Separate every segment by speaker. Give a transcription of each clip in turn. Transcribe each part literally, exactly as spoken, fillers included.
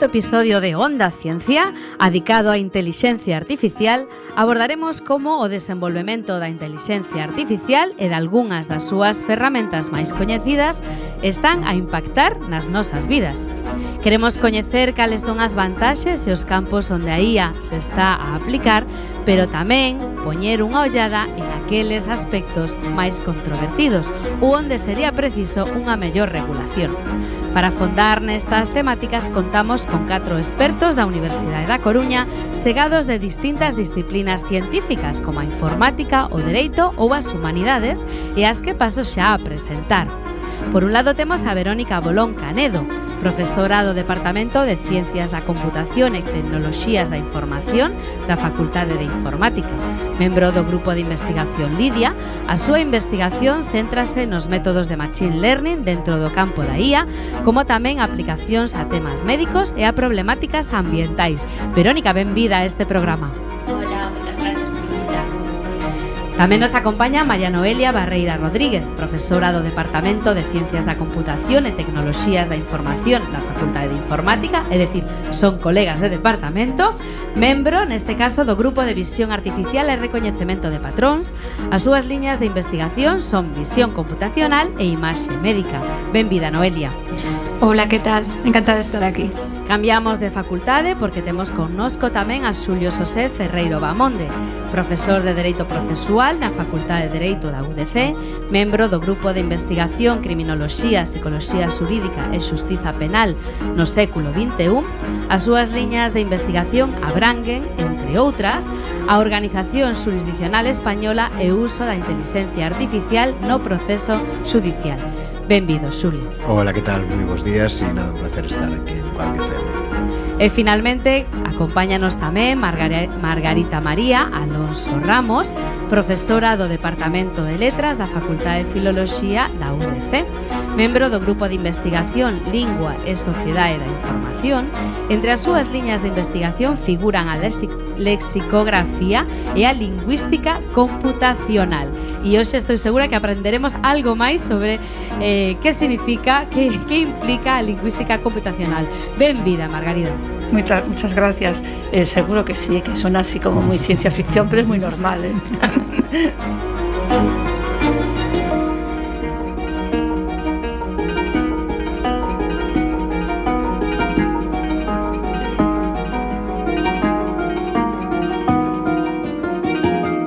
Speaker 1: quinto episodio de Onda Ciencia, adicado á intelixencia artificial, abordaremos como o desenvolvemento da intelixencia artificial e de algunhas das súas ferramentas máis coñecidas están a impactar nas nosas vidas. Queremos coñecer cales son as vantaxes e os campos onde a I A se está a aplicar, pero tamén poñer unha ollada en aqueles aspectos máis controvertidos ou onde sería preciso unha mellor regulación. Para afondar nestas temáticas contamos con catro expertos da Universidade da Coruña chegados de distintas disciplinas científicas como a informática, o dereito ou as humanidades e as que paso xa a presentar. Por un lado temos a Verónica Bolón Canedo, profesora do Departamento de Ciencias da Computación e Tecnoloxías da Información da Facultade de Informática. Membro do Grupo de Investigación Lidia, a súa investigación céntrase nos métodos de Machine Learning dentro do campo da I A, como tamén aplicacións a temas médicos e a problemáticas ambientais. Verónica, benvida a este programa.
Speaker 2: Hola, moitas gracias por invitarme.
Speaker 1: Tamén nos acompaña María Noelia Barreira Rodríguez, profesora do Departamento de Ciencias da Computación e Tecnoloxías da Información da Facultade de Informática, é dicir, son colegas de departamento, membro, neste caso, do Grupo de Visión Artificial e Recoñecemento de Patróns. As súas liñas de investigación son visión computacional e imaxe médica. Benvida, Noelia.
Speaker 3: Hola, que tal? Encantada de estar aquí.
Speaker 1: Cambiamos de facultade porque temos connosco tamén a Xulio Xosé Ferreiro Bamonde, profesor de Dereito Procesual na Facultade de Dereito da U D C, membro do Grupo de Investigación Criminoloxía, Psicoloxía Xurídica e Xustiza Penal no século vinte e un. As súas liñas de investigación abranguen, entre outras, a Organización Xurisdiccional Española e o uso da intelixencia artificial no proceso xudicial. Benvido, Xulio.
Speaker 4: Hola, que tal? Moi bons días e nada, un placer estar aquí en Cuac F M.
Speaker 1: E finalmente acompáñanos tamén Margar- Margarita María Alonso Ramos, profesora do Departamento de Letras da Facultade de Filoloxía da U D C, membro do Grupo de Investigación Lingua e Sociedade da Información. Entre as súas liñas de investigación figuran a lexi- lexicografía e a lingüística computacional. E hoxe estou segura que aprenderemos algo máis sobre eh, que significa, que, que implica a lingüística computacional. Benvida, Margarida.
Speaker 3: Muchas, muchas gracias. Eh, seguro que sí, que suena así como muy ciencia ficción, pero es muy normal, ¿eh?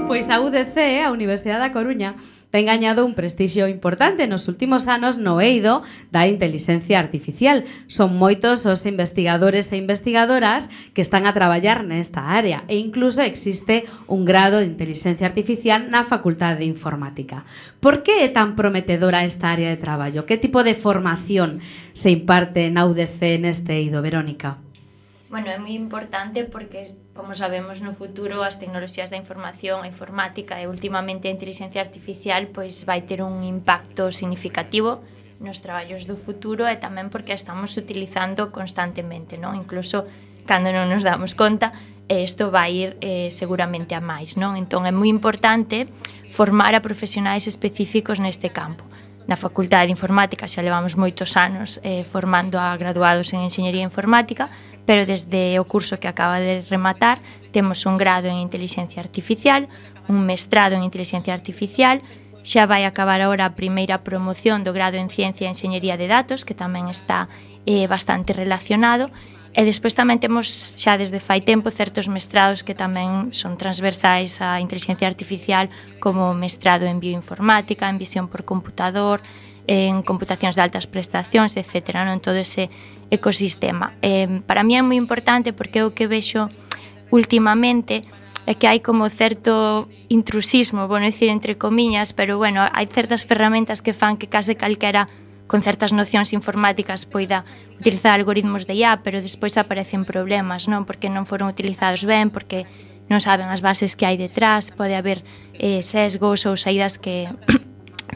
Speaker 1: Pois a U D C, a Universidade da Coruña, ten gañado un prestixio importante nos últimos anos no eido da intelixencia artificial. Son moitos os investigadores e investigadoras que están a traballar nesta área e incluso existe un grado de intelixencia artificial na Facultade de Informática. Por que é tan prometedora esta área de traballo? Que tipo de formación se imparte na U D C neste eido, Verónica?
Speaker 2: Bueno, é moi importante porque, como sabemos, no futuro as tecnoloxías da información, a informática e últimamente a inteligencia artificial pois vai ter un impacto significativo nos traballos do futuro e tamén porque a estamos utilizando constantemente, non? Incluso cando non nos damos conta, isto vai ir eh, seguramente a máis, non? Entón é moi importante formar a profesionais específicos neste campo. Na Facultade de Informática xa levamos moitos anos eh, formando a graduados en Enxeñería Informática, pero desde o curso que acaba de rematar temos un grado en Intelixencia Artificial, un mestrado en Intelixencia Artificial, xa vai acabar agora a primeira promoción do grado en Ciencia e Enxeñería de Datos, que tamén está eh, bastante relacionado, e despois tamén temos xa desde fai tempo certos mestrados que tamén son transversais á inteligencia artificial, como mestrado en bioinformática, en visión por computador, en computacións de altas prestacións, etcétera, non? En todo ese ecosistema. Eh, para mí é moi importante porque o que vexo últimamente é que hai como certo intrusismo, vou dicir entre comiñas, pero bueno, hai certas ferramentas que fan que case calquera con certas nocións informáticas poida utilizar algoritmos de I A, pero despois aparecen problemas, non? Porque non foron utilizados ben, porque non saben as bases que hai detrás, pode haber eh, sesgos ou saídas que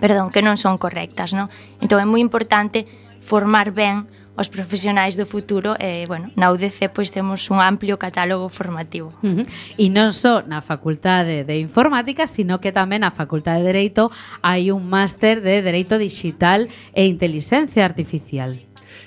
Speaker 2: perdón, que non son correctas, non? Entón é moi importante formar ben os profesionais do futuro e, bueno, na U D C pois temos un amplio catálogo formativo.
Speaker 1: Uh-huh. E non só na Facultade de Informática, sino que tamén na Facultade de Dereito hai un máster de Dereito Digital e Intelixencia Artificial.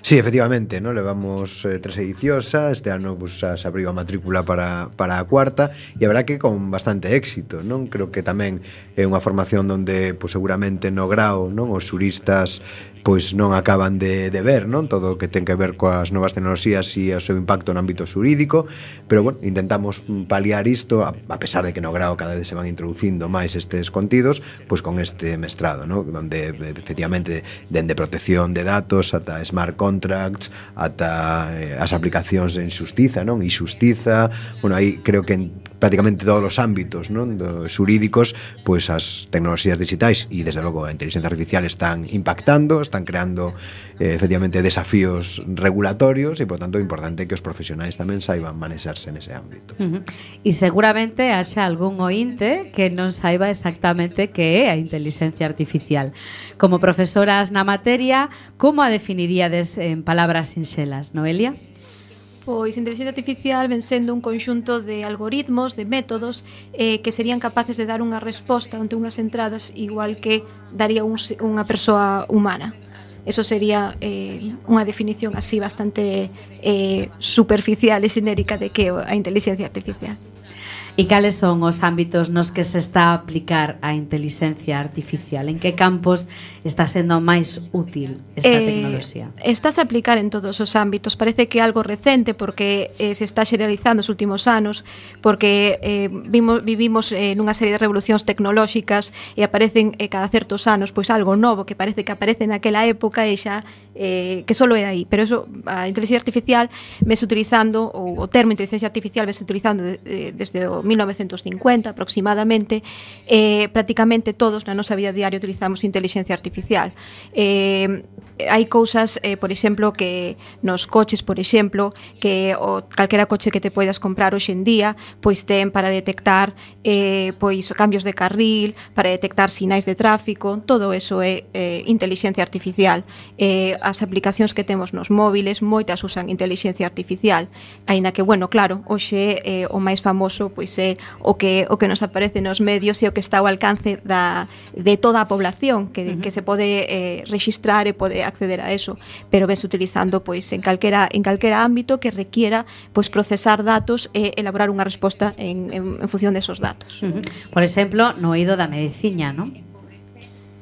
Speaker 4: Sí, efectivamente, ¿no? Levamos eh, tres edicións xa, este ano pues, xa se abriu a matrícula para, para a cuarta e a verdad que con bastante éxito, non? Creo que tamén é unha formación onde pues, seguramente no grao, non? Os xuristas pois non acaban de, de ver, non? Todo o que ten que ver coas novas tecnoloxías e o seu impacto no ámbito xurídico, pero bueno, intentamos paliar isto a, a pesar de que no grao cada vez se van introducindo máis estes contidos, pois con este mestrado, non? Donde efectivamente dende protección de datos ata smart contracts, ata eh, as aplicacións en xustiza, non? E xustiza, bueno, aí creo que en prácticamente todos os ámbitos, non? Dos xurídicos, pois as tecnoloxías digitais e desde logo a inteligencia artificial están impactando, están creando eh, efectivamente desafíos regulatorios e por tanto é importante que os profesionais tamén saiban manexarse nese ámbito.
Speaker 1: Uh-huh. E seguramente haxa algún ointe que non saiba exactamente que é a inteligencia artificial. Como profesoras na materia, como a definiríades en palabras sinxelas, Noelia?
Speaker 5: Pois a inteligencia artificial ven sendo un conxunto de algoritmos, de métodos eh, que serían capaces de dar unha resposta ante unhas entradas igual que daría un, unha persoa humana. Eso sería eh, unha definición así bastante eh, superficial e xenérica de que é a inteligencia artificial.
Speaker 1: E cales son os ámbitos nos que se está a aplicar a inteligencia artificial? En que campos está sendo máis útil esta
Speaker 5: eh,
Speaker 1: tecnoloxía?
Speaker 5: Estás a aplicar en todos os ámbitos. Parece que é algo recente porque eh, se está xeneralizando os últimos anos, porque eh, vimos, vivimos eh, nunha serie de revolucións tecnolóxicas e aparecen eh, cada certos anos pois algo novo que parece que aparece naquela época e xa eh, que solo é aí. Pero eso, a inteligencia artificial vese utilizando, ou o termo inteligencia artificial vese utilizando de, de, desde o mil novecentos cincuenta aproximadamente, eh, prácticamente todos na nosa vida diaria utilizamos inteligencia artificial. Eh, hai cousas, eh, por exemplo, que nos coches, por exemplo, que o calquera coche que te poidas comprar hoxe en día, pois ten para detectar eh, pois cambios de carril, para detectar sinais de tráfico, todo eso é eh, inteligencia artificial. Eh, as aplicacións que temos nos móviles, moitas usan inteligencia artificial, aínda que, bueno, claro, hoxe eh, o máis famoso pois é o que o que nos aparece nos medios e o que está ao alcance da de toda a población que, uh-huh. que se pode eh, registrar e pode acceder a eso, pero ves utilizando pois en calquera en calquera ámbito que requiera pois procesar datos e elaborar unha resposta en, en, en función desos datos.
Speaker 1: Uh-huh. Por exemplo, no eido da medicina, non?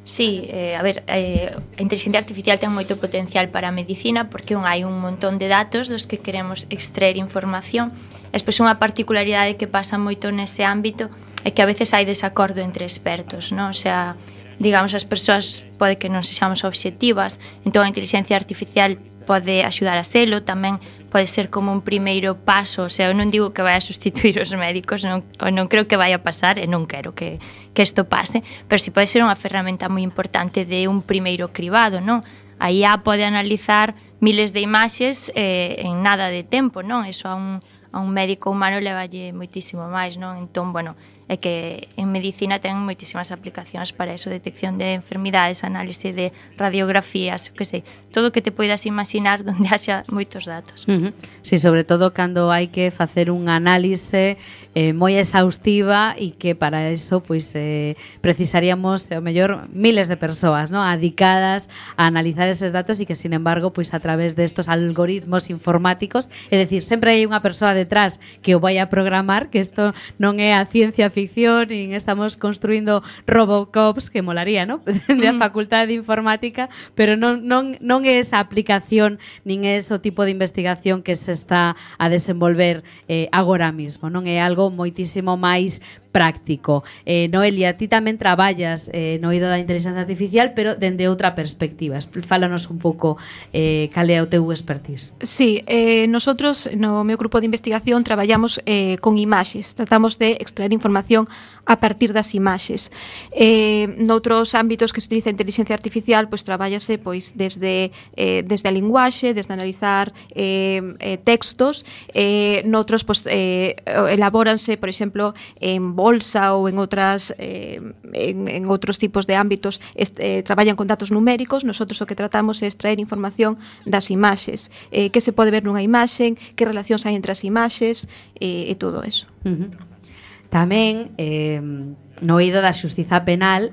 Speaker 2: Sí, eh, a ver, eh, a inteligencia artificial ten moito potencial para a medicina porque un, hai un montón de datos dos que queremos extraer información. Despois unha particularidade que pasa moito nese ámbito é que a veces hai desacordo entre expertos, non? O sea, digamos, as persoas pode que non sexamos obxectivas, entón a inteligencia artificial pode axudar a selo, tamén pode ser como un primeiro paso, o sea, eu non digo que vai a sustituir os médicos, non, non creo que vai a pasar e non quero que, que isto pase, pero si pode ser unha ferramenta moi importante de un primeiro cribado, non? A I A pode analizar miles de imaxes eh, en nada de tempo, non? Eso a un, a un médico humano levalle moitísimo máis, non? Entón, bueno, é que en medicina ten moitísimas aplicacións para eso, detección de enfermidades, análise de radiografías, que sei, todo o que te poidas imaginar onde haxa moitos datos.
Speaker 1: Uh-huh. Sí, sobre todo cando hai que facer un análise eh, moi exhaustiva e que para eso pois eh, precisaríamos, ao mellor, miles de persoas, ¿no? Adicadas a analizar eses datos e que, sin embargo, pois a través destos algoritmos informáticos, é dicir, sempre hai unha persoa detrás que o vai a programar, que isto non é a ciencia ficción, nin estamos construindo Robocops, que molaría, ¿no? De a facultade de informática, pero non, non, non é esa aplicación, nin é ese tipo de investigación que se está a desenvolver eh, agora mismo, non é algo moitísimo máis práctico. Eh, Noelia, ti tamén traballas eh, no eido da inteligencia artificial, pero dende outra perspectiva. Fálanos un pouco eh, cal é o teu expertise.
Speaker 5: Sí, eh, nosotros no meu grupo de investigación traballamos eh, con imaxes, tratamos de extraer información a partir das imaxes. Eh, noutros ámbitos que se utiliza a inteligencia artificial, pois trabállase pois desde eh, desde a linguaxe, desde analizar eh, eh, textos, eh, noutros pois eh, elabóranse, por exemplo, en bolsa ou en outras eh, en, en outros tipos de ámbitos est, eh, traballan con datos numéricos. Nosotros o que tratamos é extraer información das imaxes, eh, que se pode ver nunha imaxe, que relacións hai entre as imaxes eh, e todo eso.
Speaker 1: Uh-huh. Tamén eh, no eido da xustiza penal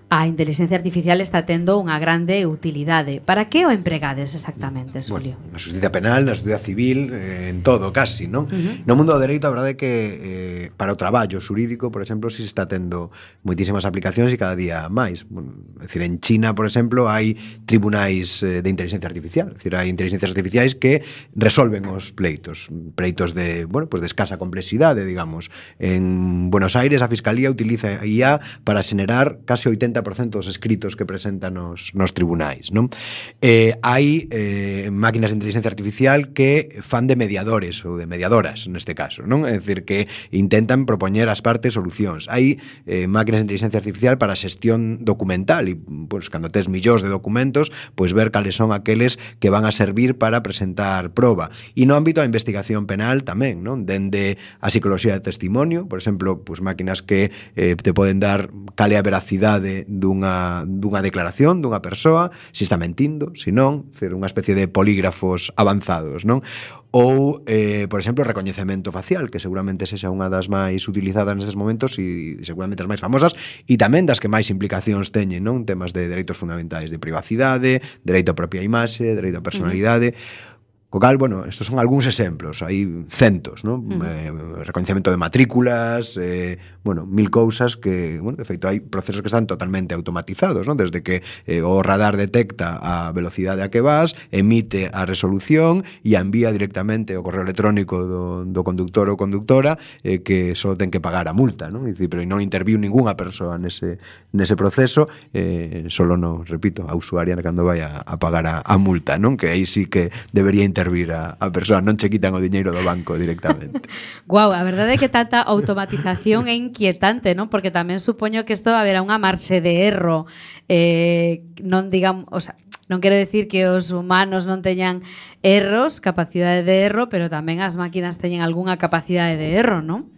Speaker 1: a inteligencia artificial está tendo unha grande utilidade. Para que o empregades exactamente, Xulio?
Speaker 4: Bueno, na justicia penal, na justicia civil, eh, en todo, casi, non? Uh-huh. No mundo do dereito, a verdade é que eh, para o traballo xurídico, por exemplo, si se está tendo moitísimas aplicacións e cada día máis. Bueno, é dicir, en China, por exemplo, hai tribunais eh, de inteligencia artificial. É dicir, hai inteligencias artificiais que resolven os pleitos. Pleitos de, bueno, pues de escasa complexidade, digamos. En Buenos Aires, a Fiscalía utiliza I A para xenerar case oitenta por cento dos escritos que presentan nos, nos tribunais, non? Eh, hai eh, máquinas de inteligencia artificial que fan de mediadores ou de mediadoras, neste caso, non? É dicir, que intentan propoñer ás partes solucións. Hai eh, máquinas de inteligencia artificial para a xestión documental e, pois, cando tes millóns de documentos, pois ver cales son aqueles que van a servir para presentar proba. E no ámbito da investigación penal tamén, non? Dende a psicoloxía de testimonio, por exemplo, pois máquinas que eh, te poden dar cale a veracidade dunha, dunha declaración dunha persoa, se está mentindo, se non, fer unha especie de polígrafos avanzados, non? Ou, eh, por exemplo, o recoñecemento facial, que seguramente sexa unha das máis utilizadas nestes momentos e seguramente as máis famosas e tamén das que máis implicacións teñen, non? Temas de dereitos fundamentais de privacidade, dereito á propia imaxe, dereito á personalidade. Uh-huh. Co cal, bueno, estos son algúns exemplos, hai centos, non? Uh-huh. Eh, recoñecemento de matrículas, eh, bueno, mil cousas que, bueno, de feito, hai procesos que están totalmente automatizados, non? Desde que eh, o radar detecta a velocidade a que vas, emite a resolución e a envía directamente o correo electrónico do, do conductor ou conductora eh, que só ten que pagar a multa, non? Dicir, pero non interviu ningunha persoa nese, nese proceso, eh, solo no, repito, a usuaria cando vai a, a pagar a, a multa, non? Que aí sí que debería intervir a, a persoa, non che quitan o diñeiro do banco directamente.
Speaker 1: Guau, a verdade é que tanta automatización é inquietante, non? Porque tamén supoño que isto haberá unha marxe de erro. Eh, non digamos, o sea, non quero decir que os humanos non teñan erros, capacidade de erro, pero tamén as máquinas teñen algunha capacidade de erro, non?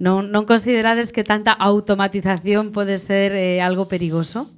Speaker 1: Non, non considerades que tanta automatización pode ser eh, algo perigoso?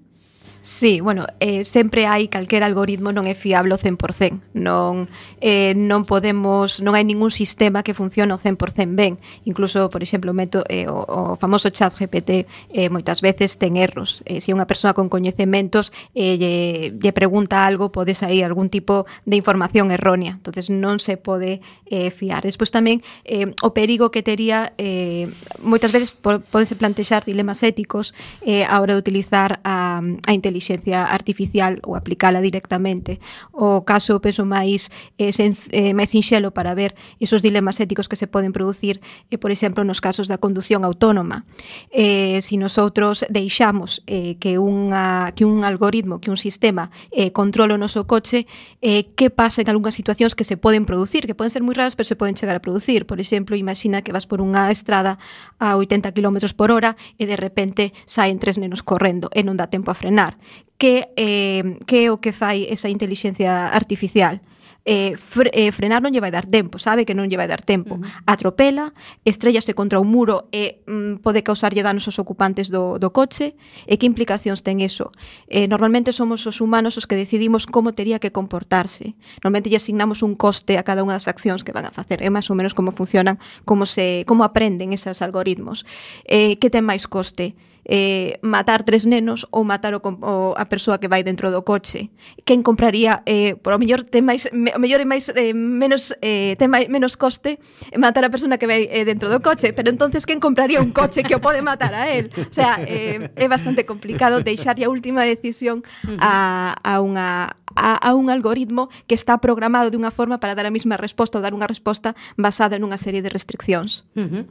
Speaker 5: Sí, bueno, eh, sempre hai calquera algoritmo non é fiable ao cen por cento. Non, eh, non podemos, non hai ningún sistema que funcione ao cen por cento ben. Incluso, por exemplo, o, meto, eh, o, o famoso chat G P T eh, moitas veces ten erros. Eh, se unha persoa con coñecementos eh, lle, lle pregunta algo, pode sair algún tipo de información errónea. Entonces non se pode eh, fiar. Despois tamén eh, o perigo que tería eh, moitas veces podense plantexar dilemas éticos eh, a hora de utilizar a, a inteligencia inteligencia artificial ou aplicala directamente. O caso, penso, máis eh, sen, eh, máis sinxelo para ver esos dilemas éticos que se poden producir, eh, por exemplo, nos casos da condución autónoma. Eh, si nosotros deixamos eh, que, unha, que un algoritmo, que un sistema eh, controle o noso coche, eh, que pasa en algunhas situacións que se poden producir, que poden ser moi raras, pero se poden chegar a producir. Por exemplo, imagina que vas por unha estrada a oitenta kilómetros por hora e de repente saen tres nenos correndo e non dá tempo a frenar. Que, eh, que é o que fai esa inteligencia artificial? Eh, fre, eh, frenar non lle vai dar tempo, sabe que non lle vai dar tempo. Uh-huh. Atropela, estrellase contra un muro e mm, pode causarlle danos aos ocupantes do, do coche. E que implicacións ten eso? Eh, normalmente somos os humanos os que decidimos como tería que comportarse. Normalmente lle asignamos un coste a cada unha das accións que van a facer. É máis ou menos como funcionan, como, se, como aprenden esos algoritmos. Eh, que ten máis coste? Eh, matar tres nenos ou matar o, o, a persoa que vai dentro do coche. Quen compraría, eh, por o mellor ten máis, me, o mellor é máis eh, menos eh, ten máis, menos coste matar a persona que vai eh, dentro do coche, pero entonces quen compraría un coche que o pode matar a él? O sea, eh, é bastante complicado deixar a última decisión a, a unha a, a un algoritmo que está programado de unha forma para dar a mesma resposta ou dar unha resposta basada en unha serie de restriccións.
Speaker 1: Uh-huh.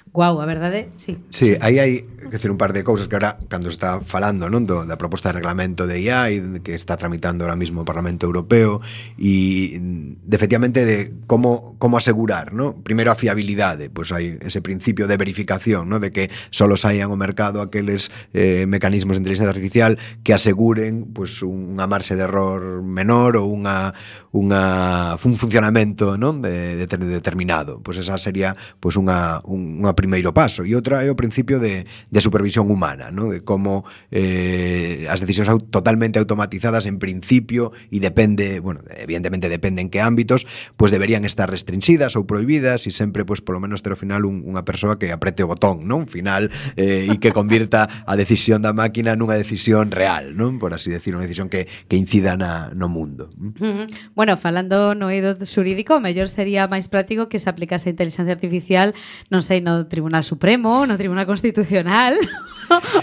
Speaker 1: Guau, a verdade, sí.
Speaker 4: Sí, aí hai que decir un par de cousas que ahora, cando está falando, non, do, da proposta de reglamento de I A e que está tramitando ahora mismo o Parlamento Europeo e de, efectivamente de como, como asegurar, non? Primeiro a fiabilidade, pois hai ese principio de verificación, non? De que solo saian ao mercado aqueles eh, mecanismos de inteligencia artificial que aseguren pois unha marxe de error menor ou unha, unha un funcionamento, non? De, de determinado. Pois esa sería pois unha, unha primeiro paso, e outra é o principio de, de supervisión humana, ¿no? De como eh, as decisións au- totalmente automatizadas en principio, e depende, bueno, evidentemente depende en que ámbitos, pues deberían estar restringidas ou prohibidas, e sempre, pues polo menos ter ao final un, unha persoa que aprete o botón, non? Final, eh, e que convirta a decisión da máquina nunha decisión real, non? Por así decir, unha decisión que, que incida na, no mundo.
Speaker 1: Uh-huh. Bueno, falando no eido xurídico, o mellor sería máis práctico que se aplicase a inteligencia artificial, non sei, no Tribunal Supremo, no Tribunal Constitucional.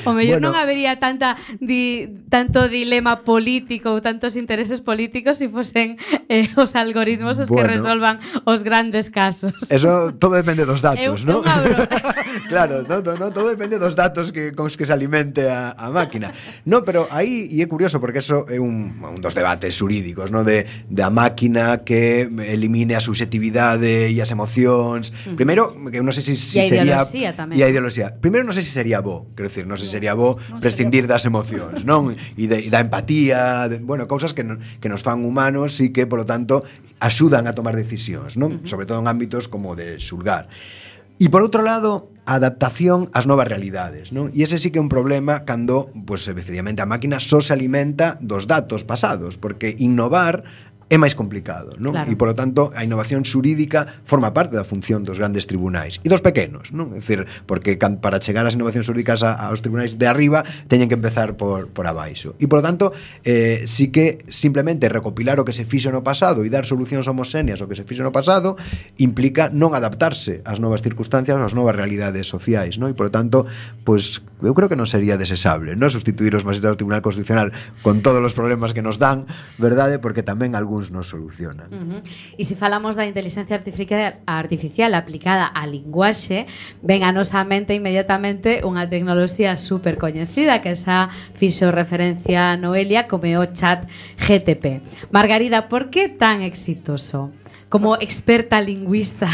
Speaker 1: O mellor
Speaker 4: Bueno.
Speaker 1: non habería tanta di, tanto dilema político ou tantos intereses políticos se fosen eh, os algoritmos os
Speaker 4: Bueno.
Speaker 1: que resolvan os grandes casos.
Speaker 4: Eso todo depende dos datos,
Speaker 1: Eu-
Speaker 4: ¿no?
Speaker 1: eu abro.
Speaker 4: Claro, no, no, no, todo depende dos datos que con os que se alimente a, a máquina. No, pero aí, e é curioso porque eso é un, un dos debates xurídicos, ¿no? De, de a máquina que elimine a subjetividade e as emocións. Uh -huh. Primeiro, que eu non sei se si,
Speaker 1: E a
Speaker 4: sería
Speaker 1: ideoloxía tamén.
Speaker 4: E a ideoloxía. Primeiro non sei se sería bo, quero dicir, non sei se sería bo
Speaker 3: non
Speaker 4: prescindir
Speaker 3: sería
Speaker 4: das emocións, non? E, de, e da empatía, de, bueno, cousas que, no, que nos fan humanos e que, polo tanto, axudan a tomar decisións, non? Uh -huh. Sobre todo en ámbitos como de xulgar. E por outro lado, a adaptación ás novas realidades, non? E ese sí que é un problema cando, pues, efectivamente, a máquina só se alimenta dos datos pasados, porque innovar é máis complicado, non?
Speaker 1: Claro.
Speaker 4: E, polo tanto, a innovación xurídica forma parte da función dos grandes tribunais e dos pequenos, non? É dicir, porque can, para chegar ás innovacións xurídicas a, aos tribunais de arriba teñen que empezar por, por abaixo. E, polo tanto, eh, sí que simplemente recopilar o que se fixo no pasado e dar solucións homogéneas ao que se fixo no pasado implica non adaptarse ás novas circunstancias, ás novas realidades sociais, non? E, polo tanto, pues, eu creo que non sería desesable, non? Sustituir os magistrados do Tribunal Constitucional con todos os problemas que nos dan, verdade? Porque tamén algúns nos solucionan.
Speaker 1: Uh -huh. E se falamos da inteligencia artificial, artificial aplicada á linguaxe, ven a nosa mente inmediatamente unha tecnoloxía super coñecida que xa fixo referencia a Noelia como é o chat G T P. Margarida, por que tan exitoso? Como experta lingüista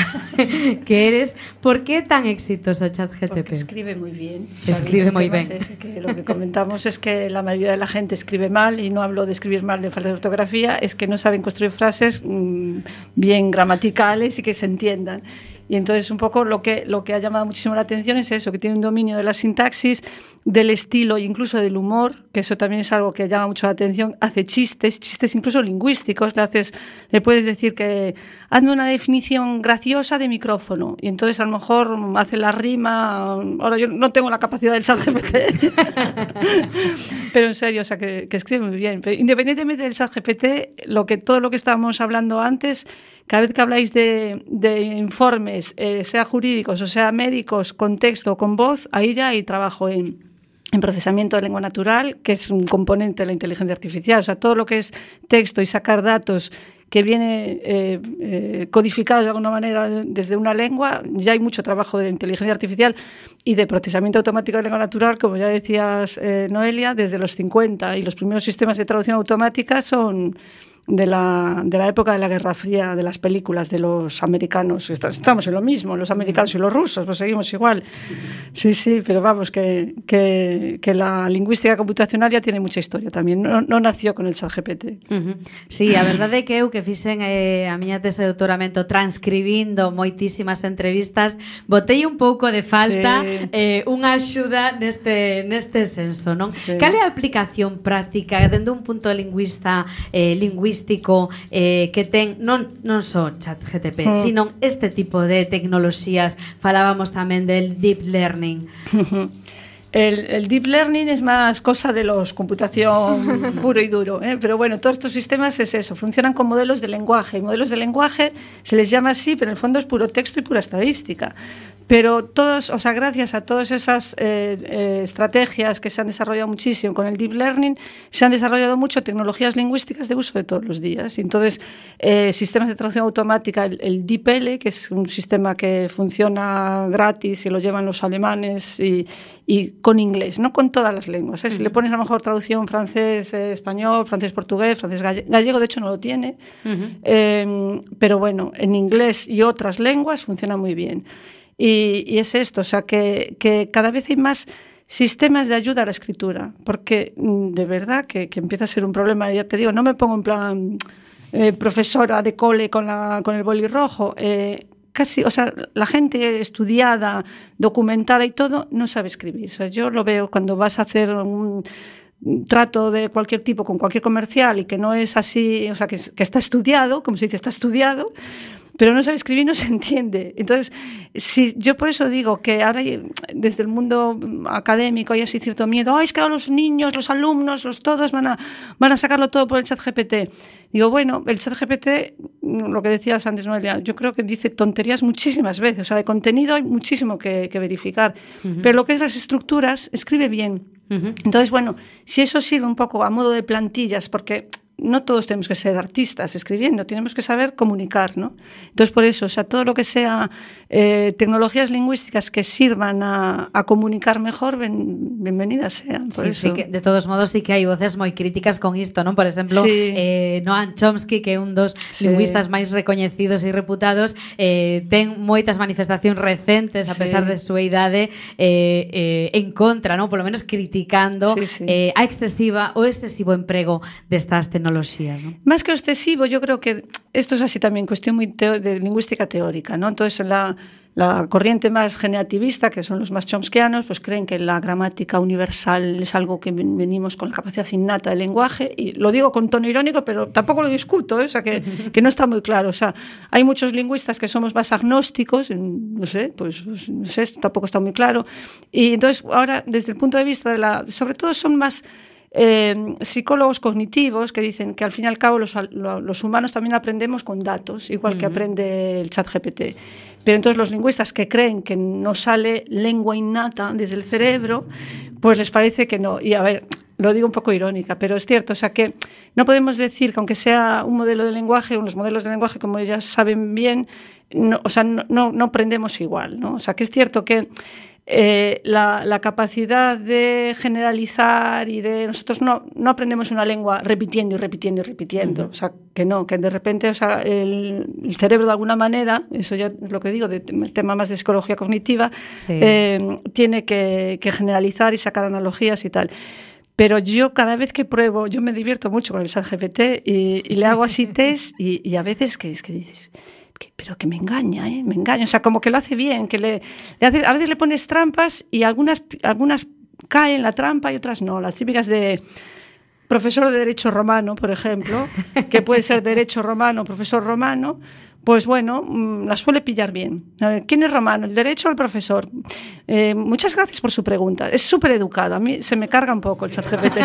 Speaker 1: que eres, ¿por qué tan exitoso ChatGPT?
Speaker 3: Porque escribe muy bien.
Speaker 1: Escribe muy bien.
Speaker 3: Es que lo que comentamos es que la mayoría de la gente escribe mal, y no hablo de escribir mal de falta de ortografía, es que no saben construir frases mmm, bien gramaticales y que se entiendan. Y entonces un poco lo que, lo que ha llamado muchísimo la atención es eso, que tiene un dominio de la sintaxis, del estilo e incluso del humor, que eso también es algo que llama mucho la atención. Hace chistes, chistes incluso lingüísticos. Le, haces, le puedes decir que hazme una definición graciosa de micrófono, y entonces a lo mejor hace la rima. Ahora yo no tengo la capacidad del ChatGPT, pero en serio, o sea, que, que escribe muy bien. Pero independientemente del ChatGPT, lo que, todo lo que estábamos hablando antes, cada vez que habláis de, de informes, eh, sea jurídicos o sea médicos, con texto o con voz, ahí ya hay trabajo en, en procesamiento de lengua natural, que es un componente de la inteligencia artificial. O sea, todo lo que es texto y sacar datos que viene eh, eh, codificados de alguna manera desde una lengua, ya hay mucho trabajo de inteligencia artificial y de procesamiento automático de lengua natural, como ya decías, eh, Noelia, desde los cincuenta, y los primeros sistemas de traducción automática son de la, de la época de la Guerra Fría, de las películas de los americanos. Estamos en lo mismo, los americanos y los rusos, pues seguimos igual. Sí, sí, pero vamos, que, que, que la lingüística computacional ya tiene mucha historia también, no, no nació con el ChatGPT.
Speaker 1: Uh -huh. Sí, a verdade é que eu que fixen eh, a miña tese de doutoramento transcribindo moitísimas entrevistas, botei un pouco de falta sí. eh, unha axuda neste, neste senso, non? Sí. Cal é a aplicación práctica dende un punto lingüista eh, lingüístico eh, que ten non, non só ChatGPT, mm. sino este tipo de tecnoloxías? Falábamos tamén del deep learning.
Speaker 3: El, el deep learning es más cosa de los computación puro y duro, ¿eh? Pero bueno, todos estos sistemas es eso, funcionan con modelos de lenguaje, y modelos de lenguaje se les llama así, pero en el fondo es puro texto y pura estadística. Pero todos, o sea, gracias a todas esas eh, eh, estrategias que se han desarrollado muchísimo con el deep learning, se han desarrollado mucho tecnologías lingüísticas de uso de todos los días. Y entonces, eh, sistemas de traducción automática, el, el DeepL, que es un sistema que funciona gratis y lo llevan los alemanes, y, y con inglés, no con todas las lenguas, ¿eh? Si uh-huh. le pones a lo mejor traducción francés, eh, español, francés, portugués, francés, galle- gallego, de hecho no lo tiene, uh-huh. eh, pero bueno, en inglés y otras lenguas funciona muy bien. Y, y es esto, o sea, que, que cada vez hay más sistemas de ayuda a la escritura, porque de verdad que, que empieza a ser un problema. Ya te digo, no me pongo en plan eh, profesora de cole con, la, con el boli rojo, eh, casi, o sea, la gente estudiada, documentada y todo, no sabe escribir. O sea, yo lo veo cuando vas a hacer un trato de cualquier tipo con cualquier comercial y que no es así, o sea, que, que está estudiado, como se dice, está estudiado, pero no sabe escribir, no se entiende. Entonces, si, yo por eso digo que ahora hay, desde el mundo académico hay así cierto miedo, ay, es que ahora los niños, los alumnos, los todos van a, van a sacarlo todo por el chat G P T. Digo, bueno, el chat G P T, lo que decías antes, Noelia, yo creo que dice tonterías muchísimas veces, o sea, de contenido hay muchísimo que, que verificar, uh-huh. pero lo que es las estructuras, escribe bien. Uh-huh. Entonces, bueno, si eso sirve un poco a modo de plantillas, porque no todos tenemos que ser artistas escribiendo, tenemos que saber comunicar, ¿no? Entonces, por eso, o sea, todo lo que sea eh, tecnologías lingüísticas que sirvan a, a comunicar mejor, ben, bienvenidas sean. Por
Speaker 1: sí,
Speaker 3: eso.
Speaker 1: sí que, de todos modos, sí que hai voces moi críticas con isto, non? Por exemplo, sí. eh, Noam Chomsky, que é un dos sí. lingüistas máis recoñecidos e reputados, eh, ten moitas manifestacións recentes, a pesar sí. de súa idade, eh, eh, en contra, non? Polo menos criticando sí, sí. Eh, a excesiva o excesivo emprego destas tecnologías. ¿No?
Speaker 3: Más que excesivo, yo creo que esto es así también, cuestión muy teo- de lingüística teórica, ¿no? Entonces, la, la corriente más generativista, que son los más chomskianos, pues creen que la gramática universal es algo que venimos con la capacidad innata del lenguaje, y lo digo con tono irónico, pero tampoco lo discuto, ¿eh? O sea, que, que no está muy claro. O sea, hay muchos lingüistas que somos más agnósticos, no sé, pues, pues no sé, esto tampoco está muy claro. Y entonces, ahora, desde el punto de vista de la... Sobre todo son más... Eh, psicólogos cognitivos que dicen que al fin y al cabo los, los humanos también aprendemos con datos, igual uh-huh. que aprende el chat G P T. Pero entonces los lingüistas que creen que no sale lengua innata desde el cerebro, pues les parece que no. Y a ver, lo digo un poco irónica, pero es cierto, o sea que no podemos decir que aunque sea un modelo de lenguaje, unos modelos de lenguaje, como ya saben bien, no, o sea, no, no, no aprendemos igual, ¿no? O sea que es cierto que Eh, la, la capacidad de generalizar y de... Nosotros no, no aprendemos una lengua repitiendo y repitiendo y repitiendo. Uh-huh. O sea, que no, que de repente, o sea, el, el cerebro de alguna manera, eso ya es lo que digo, de, el tema más de psicología cognitiva, sí. eh, tiene que, que generalizar y sacar analogías y tal. Pero yo cada vez que pruebo, yo me divierto mucho con el chat G P T y, y le hago así test y, y a veces que es que dices... pero que me engaña, ¿eh? Me engaña, o sea, como que lo hace bien, que le, le hace, a veces le pones trampas y algunas, algunas caen en la trampa y otras no, las típicas de profesor de Derecho Romano, por ejemplo, que puede ser Derecho Romano, profesor romano, pues bueno, la suele pillar bien. ¿Quién es romano? ¿El derecho o el profesor? Eh, muchas gracias por su pregunta. Es súper educado. A mí se me carga un poco el chat G P T.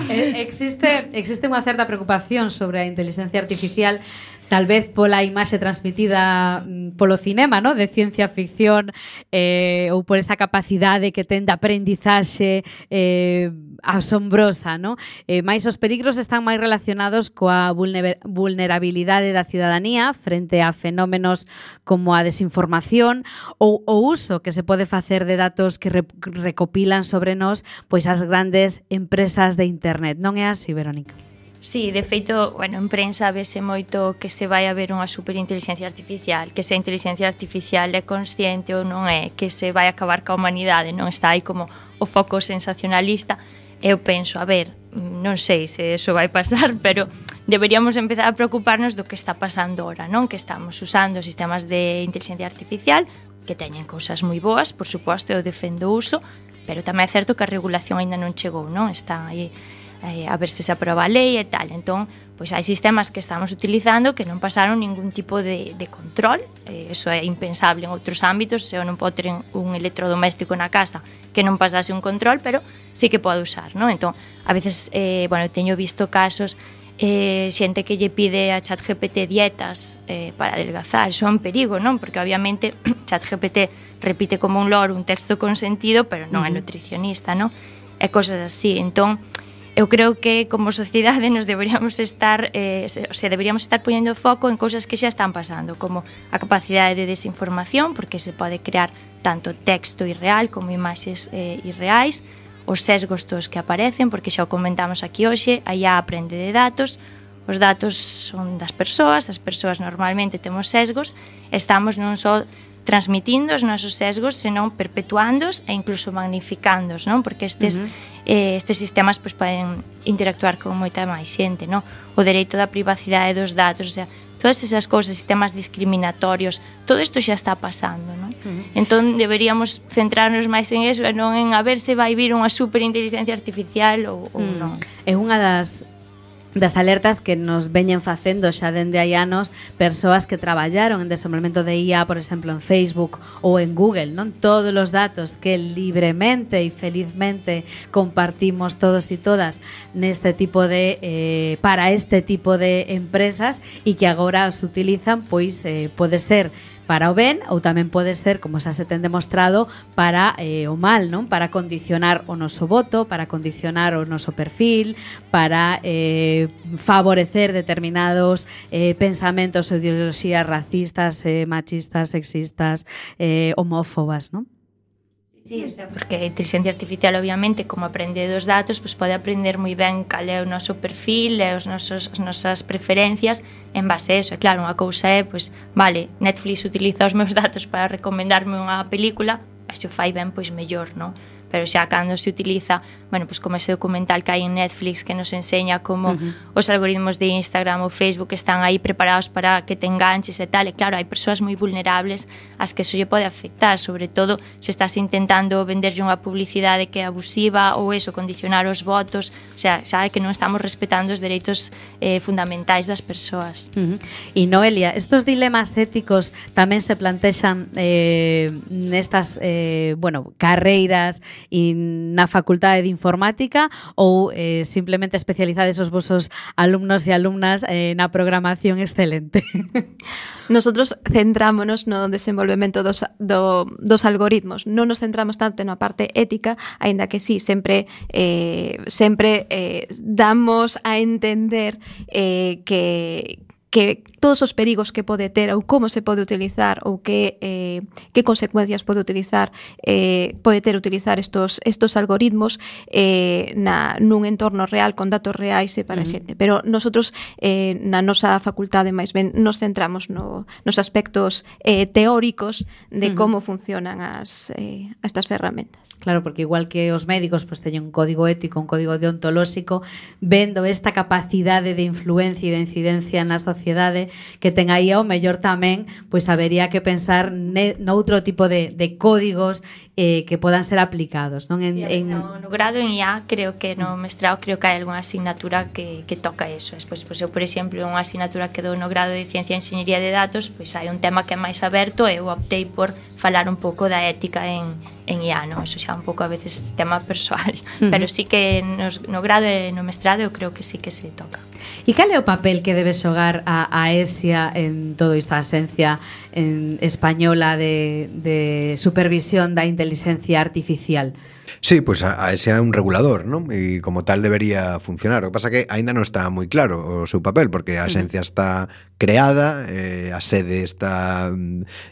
Speaker 1: eh, existe, existe unha certa preocupación sobre a inteligencia artificial, tal vez pola imaxe transmitida polo cinema, ¿no? De ciencia ficción, eh, ou por esa capacidade que ten de aprendizaxe eh, asombrosa, ¿no? Eh, mais os perigros están máis relacionados coa vulner- vulnerabilidade da ciudadanía frente a fenómenos como a desinformación ou o uso que se pode facer de datos que re- recopilan sobre nós pois as grandes empresas de internet. Non é así, Verónica?
Speaker 2: Sí, de feito, bueno, en prensa vese moito que se vai a ver unha superinteligencia artificial, que se a inteligencia artificial é consciente ou non é, que se vai acabar ca humanidade, non está aí como o foco sensacionalista. Eu penso, a ver, non sei se eso vai pasar, pero deberíamos empezar a preocuparnos do que está pasando ahora, non? Que estamos usando sistemas de inteligencia artificial que teñen cousas moi boas, por suposto, eu defendo o uso, pero tamén é certo que a regulación aínda non chegou, non? Está aí eh, a ver se se aproba a lei e tal. Entón, pois hai sistemas que estamos utilizando que non pasaron ningún tipo de, de control. Eh, eso é impensable en outros ámbitos. Se eu non podo ter un electrodoméstico na casa que non pasase un control, pero sí que pode usar, non? Entón, a veces, eh, bueno, teño visto casos eh, xente que lle pide a ChatGPT dietas eh, para adelgazar. Eso é un perigo, non? Porque obviamente ChatGPT repite como un loro un texto con sentido, pero non é nutricionista, non? E cosas así. Entón, eu creo que como sociedade nos deberíamos estar eh, se, o sea, deberíamos estar poñendo foco en cousas que xa están pasando, como a capacidade de desinformación, porque se pode crear tanto texto irreal como imaxes eh, irreais, os sesgos tos que aparecen, porque xa o comentamos aquí hoxe, a I A aprende de datos, os datos son das persoas, as persoas normalmente temos sesgos, estamos non só transmitindo os nosos sesgos, senón perpetuándos e incluso magnificándos, non? Porque estes, uh-huh. eh, estes sistemas pois, poden interactuar con moita máis xente, non? O dereito da privacidade dos datos, o sea, todas esas cousas, sistemas discriminatorios, todo isto xa está pasando, non? Uh-huh. Entón, deberíamos centrarnos máis en eso e non en a ver se vai vir unha superinteligencia artificial ou, ou uh-huh. non.
Speaker 1: É unha das das alertas que nos veñen facendo xa dende hai anos persoas que traballaron en desenvolvemento de I A, por exemplo, en Facebook ou en Google, non? Todos os datos que libremente e felizmente compartimos todos e todas neste tipo de eh, para este tipo de empresas e que agora os utilizan, pois eh, pode ser para o ben ou tamén pode ser, como xa se ten demostrado, para eh, o mal, non? Para condicionar o noso voto, para condicionar o noso perfil, para eh, favorecer determinados eh, pensamentos ou ideoloxías racistas, eh, machistas, sexistas, eh, homófobas, non?
Speaker 2: Sí, o sea, porque a inteligencia artificial obviamente como aprende dos datos, pues pode aprender moi ben cal é o noso perfil e os nosos, as nosas preferencias en base a eso. E claro, unha cousa é, pues, vale, Netflix utiliza os meus datos para recomendarme unha película, e se o fai ben, pois mellor, non? Pero xa cando se utiliza, bueno, pues como ese documental que hai en Netflix que nos enseña como uh-huh. os algoritmos de Instagram ou Facebook están aí preparados para que te enganches e tal, e claro, hai persoas moi vulnerables ás que eso lle pode afectar, sobre todo se estás intentando venderlle unha publicidade que é abusiva ou eso, condicionar os votos, o sea, xa é que non estamos respetando os dereitos eh, fundamentais das persoas.
Speaker 1: Uh-huh. E Noelia, estos dilemas éticos tamén se plantexan eh, nestas eh, bueno, carreiras e na facultade de informática ou eh, simplemente especializades os vosos alumnos e alumnas eh, na programación excelente?
Speaker 5: Nosotros centrámonos no desenvolvemento dos, do, dos algoritmos, non nos centramos tanto na parte ética, aínda que sí, sempre eh, sempre eh, damos a entender eh, que que todos os perigos que pode ter ou como se pode utilizar ou que eh, que consecuencias pode utilizar eh, pode ter utilizar estos estos algoritmos eh, na nun entorno real con datos reais e para a xente, pero nosotros eh, na nosa facultade máis ben nos centramos no, nos aspectos eh, teóricos de uh-huh. como funcionan as eh, estas ferramentas.
Speaker 1: Claro, porque igual que os médicos pues, teñen un código ético, un código deontolóxico, vendo esta capacidade de influencia e de incidencia na sociedade que ten aí ao mellor tamén, pois habería que pensar ne, noutro tipo de, de códigos eh, que podan ser aplicados, non? En,
Speaker 2: sí,
Speaker 1: en...
Speaker 2: No, no grado en I A, creo que no mestrado creo que hai algunha asignatura que, que toca eso. Despois, pois eu, por exemplo, unha asignatura que dou no grado de Ciencia e Enxeñería de Datos, pois hai un tema que é máis aberto e eu optei por falar un pouco da ética en, en I A, non? Eso xa un pouco a veces tema persoal, uh-huh. pero sí que nos, no grado e no mestrado eu creo que sí que se toca.
Speaker 1: E cal é o papel que debe xogar a, a ESIA en todo isto, a Axencia en española de, de supervisión da inteligencia artificial?
Speaker 4: Sí, pues a, a ese é un regulador, ¿no? E como tal debería funcionar. O que pasa que aínda non está moi claro o seu papel, porque a Axencia está creada, eh, a sede está,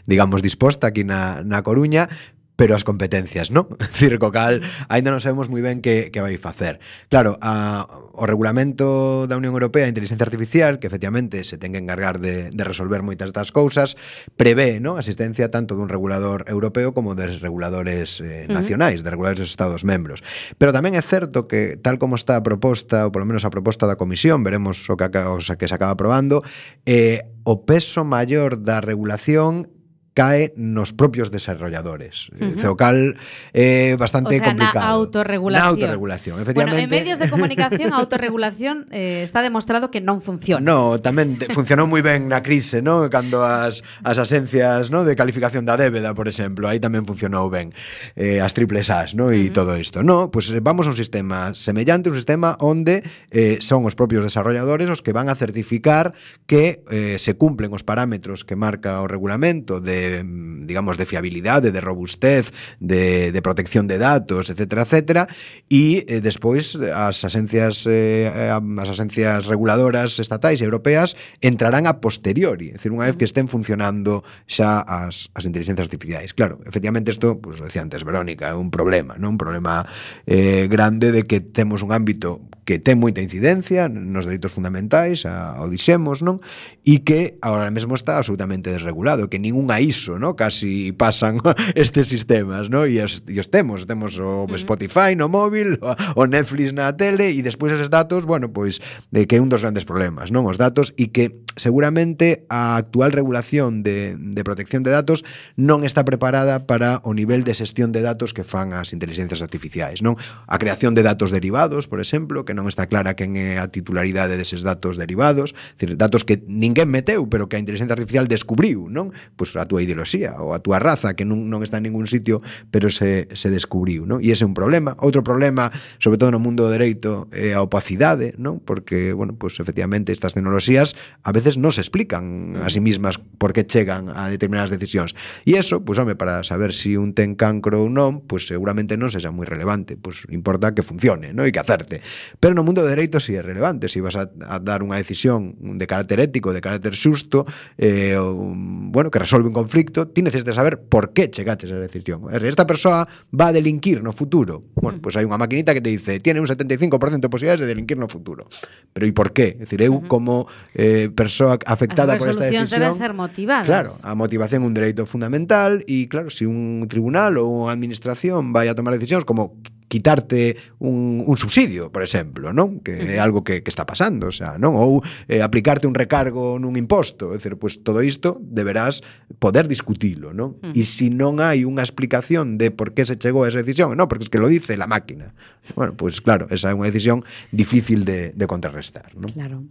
Speaker 4: digamos, disposta aquí na, na Coruña, pero as competencias, non? Circo cal, aínda non sabemos moi ben que, que vai facer. Claro, a, o regulamento da Unión Europea de Inteligencia Artificial, que efectivamente se ten que encargar de, de resolver moitas das cousas, prevé, non? A asistencia tanto dun regulador europeo como de reguladores eh, nacionais, de reguladores dos Estados membros. Pero tamén é certo que, tal como está a proposta, ou polo menos a proposta da Comisión, veremos o que, o que se acaba aprobando, eh, o peso maior da regulación cae nos propios desarrolladores. Uh-huh. O cal é eh, bastante
Speaker 1: o sea,
Speaker 4: complicado.
Speaker 1: Na autorregulación.
Speaker 4: Na autorregulación, efectivamente.
Speaker 1: Bueno, en medios de comunicación a autorregulación eh, está demostrado que non funciona.
Speaker 4: No, tamén funcionou moi ben na crise, ¿no? Cando as, as asencias, ¿no? de calificación da débeda, por exemplo, aí tamén funcionou ben. Eh, as triples As, ¿no? E uh-huh. todo isto. No, pues vamos a un sistema semellante, un sistema onde eh, son os propios desarrolladores os que van a certificar que eh, se cumplen os parámetros que marca o regulamento de digamos, de fiabilidade, de robustez, de, de protección de datos, etcétera, etcétera, e eh, despois as asencias eh, as asencias reguladoras estatais e europeas entrarán a posteriori, é dicir, unha vez que estén funcionando xa as, as inteligencias artificiais. Claro, efectivamente isto, pues, decía antes Verónica, é un problema, non? Un problema eh, grande de que temos un ámbito que ten moita incidencia nos dereitos fundamentais, a, o dixemos, non? E que agora mesmo está absolutamente desregulado, que ninguna I S O, non? Casi pasan estes sistemas, non? E os, e os temos, temos o Spotify no móvil, o, o Netflix na tele, e despois eses datos, bueno, pois, de que é un dos grandes problemas, non? Os datos, e que seguramente a actual regulación de, de protección de datos non está preparada para o nivel de xestión de datos que fan as inteligencias artificiais, non? A creación de datos derivados, por exemplo, que non está clara quen é a titularidade deses datos derivados, decir, datos que ninguén meteu, pero que a inteligencia artificial descubriu, non? Pois a túa ideoloxía ou a túa raza, que non, non está en ningún sitio, pero se, se descubriu, non? E ese é un problema. Outro problema, sobre todo no mundo do dereito, é a opacidade, non? Porque, bueno, pois efectivamente estas tecnoloxías a veces non se explican a sí mismas por que chegan a determinadas decisións. E iso, pois, home, para saber se si un ten cancro ou non, pois seguramente non sexa moi relevante, pois importa que funcione, non? E que acerte. Pero no mundo do dereito si sí é relevante, se si vas a, a dar unha decisión de carácter ético, de carácter xusto, eh, un, bueno, que resolve un conflicto, ti necesitas saber por que chegaches a esa decisión. Esta persoa va a delinquir no futuro. Bueno, pois hai unha maquinita que te dice, tiene un setenta y cinco por ciento de posibilidades de delinquir no futuro. Pero e por qué? É dicir, eu como eh, persoa afectada por esta decisión...
Speaker 1: As resolucións deben ser motivadas.
Speaker 4: Claro, a motivación é un dereito fundamental e, claro, se si un tribunal ou unha administración vai a tomar decisións como quitarte un, un subsidio, por exemplo, non? Que é algo que, que está pasando, o sea, non? Ou eh, aplicarte un recargo nun imposto, é dicir, pues todo isto deberás poder discutilo, non? Uh -huh. E se non hai unha explicación de por que se chegou a esa decisión, non, porque es que lo dice la máquina. Bueno, pues claro, esa é unha decisión difícil de, de contrarrestar, non?
Speaker 1: Claro.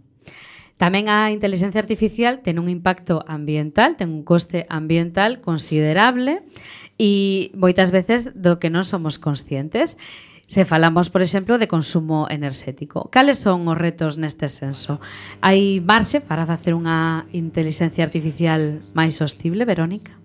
Speaker 1: Tamén a inteligencia artificial ten un impacto ambiental, ten un coste ambiental considerable e moitas veces do que non somos conscientes. Se falamos, por exemplo, de consumo enerxético. Cales son os retos neste senso? Hai marxe para facer unha inteligencia artificial máis sostible, Verónica?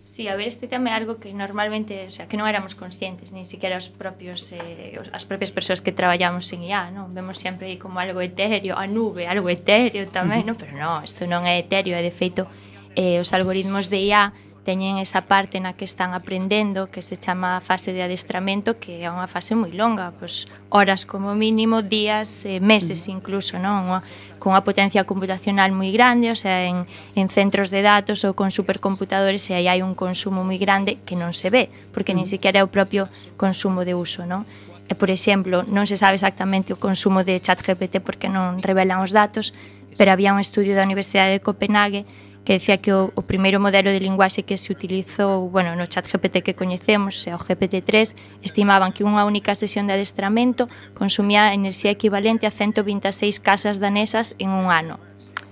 Speaker 2: Sí, a ver, este tema é algo que normalmente, o sea, que non éramos conscientes, ni siquiera os propios eh, as propias persoas que traballamos en I A, non? Vemos sempre aí como algo etéreo, a nube, algo etéreo tamén, non? Pero non, isto non é etéreo, é de feito eh, os algoritmos de I A teñen esa parte na que están aprendendo, que se chama fase de adestramento, que é unha fase moi longa, pois horas como mínimo, días, eh, meses incluso, non? Unha, con unha potencia computacional moi grande, o sea, en, en centros de datos ou con supercomputadores, e aí hai un consumo moi grande que non se ve, porque nin sequera é o propio consumo de uso, non? E, por exemplo, non se sabe exactamente o consumo de ChatGPT porque non revelan os datos, pero había un estudio da Universidade de Copenhague que decía que o, o primeiro modelo de linguaxe que se utilizou, bueno, no ChatGPT que coñecemos, o G P T tres, estimaban que unha única sesión de adestramento consumía enerxía equivalente a ciento vinte e seis casas danesas en un ano.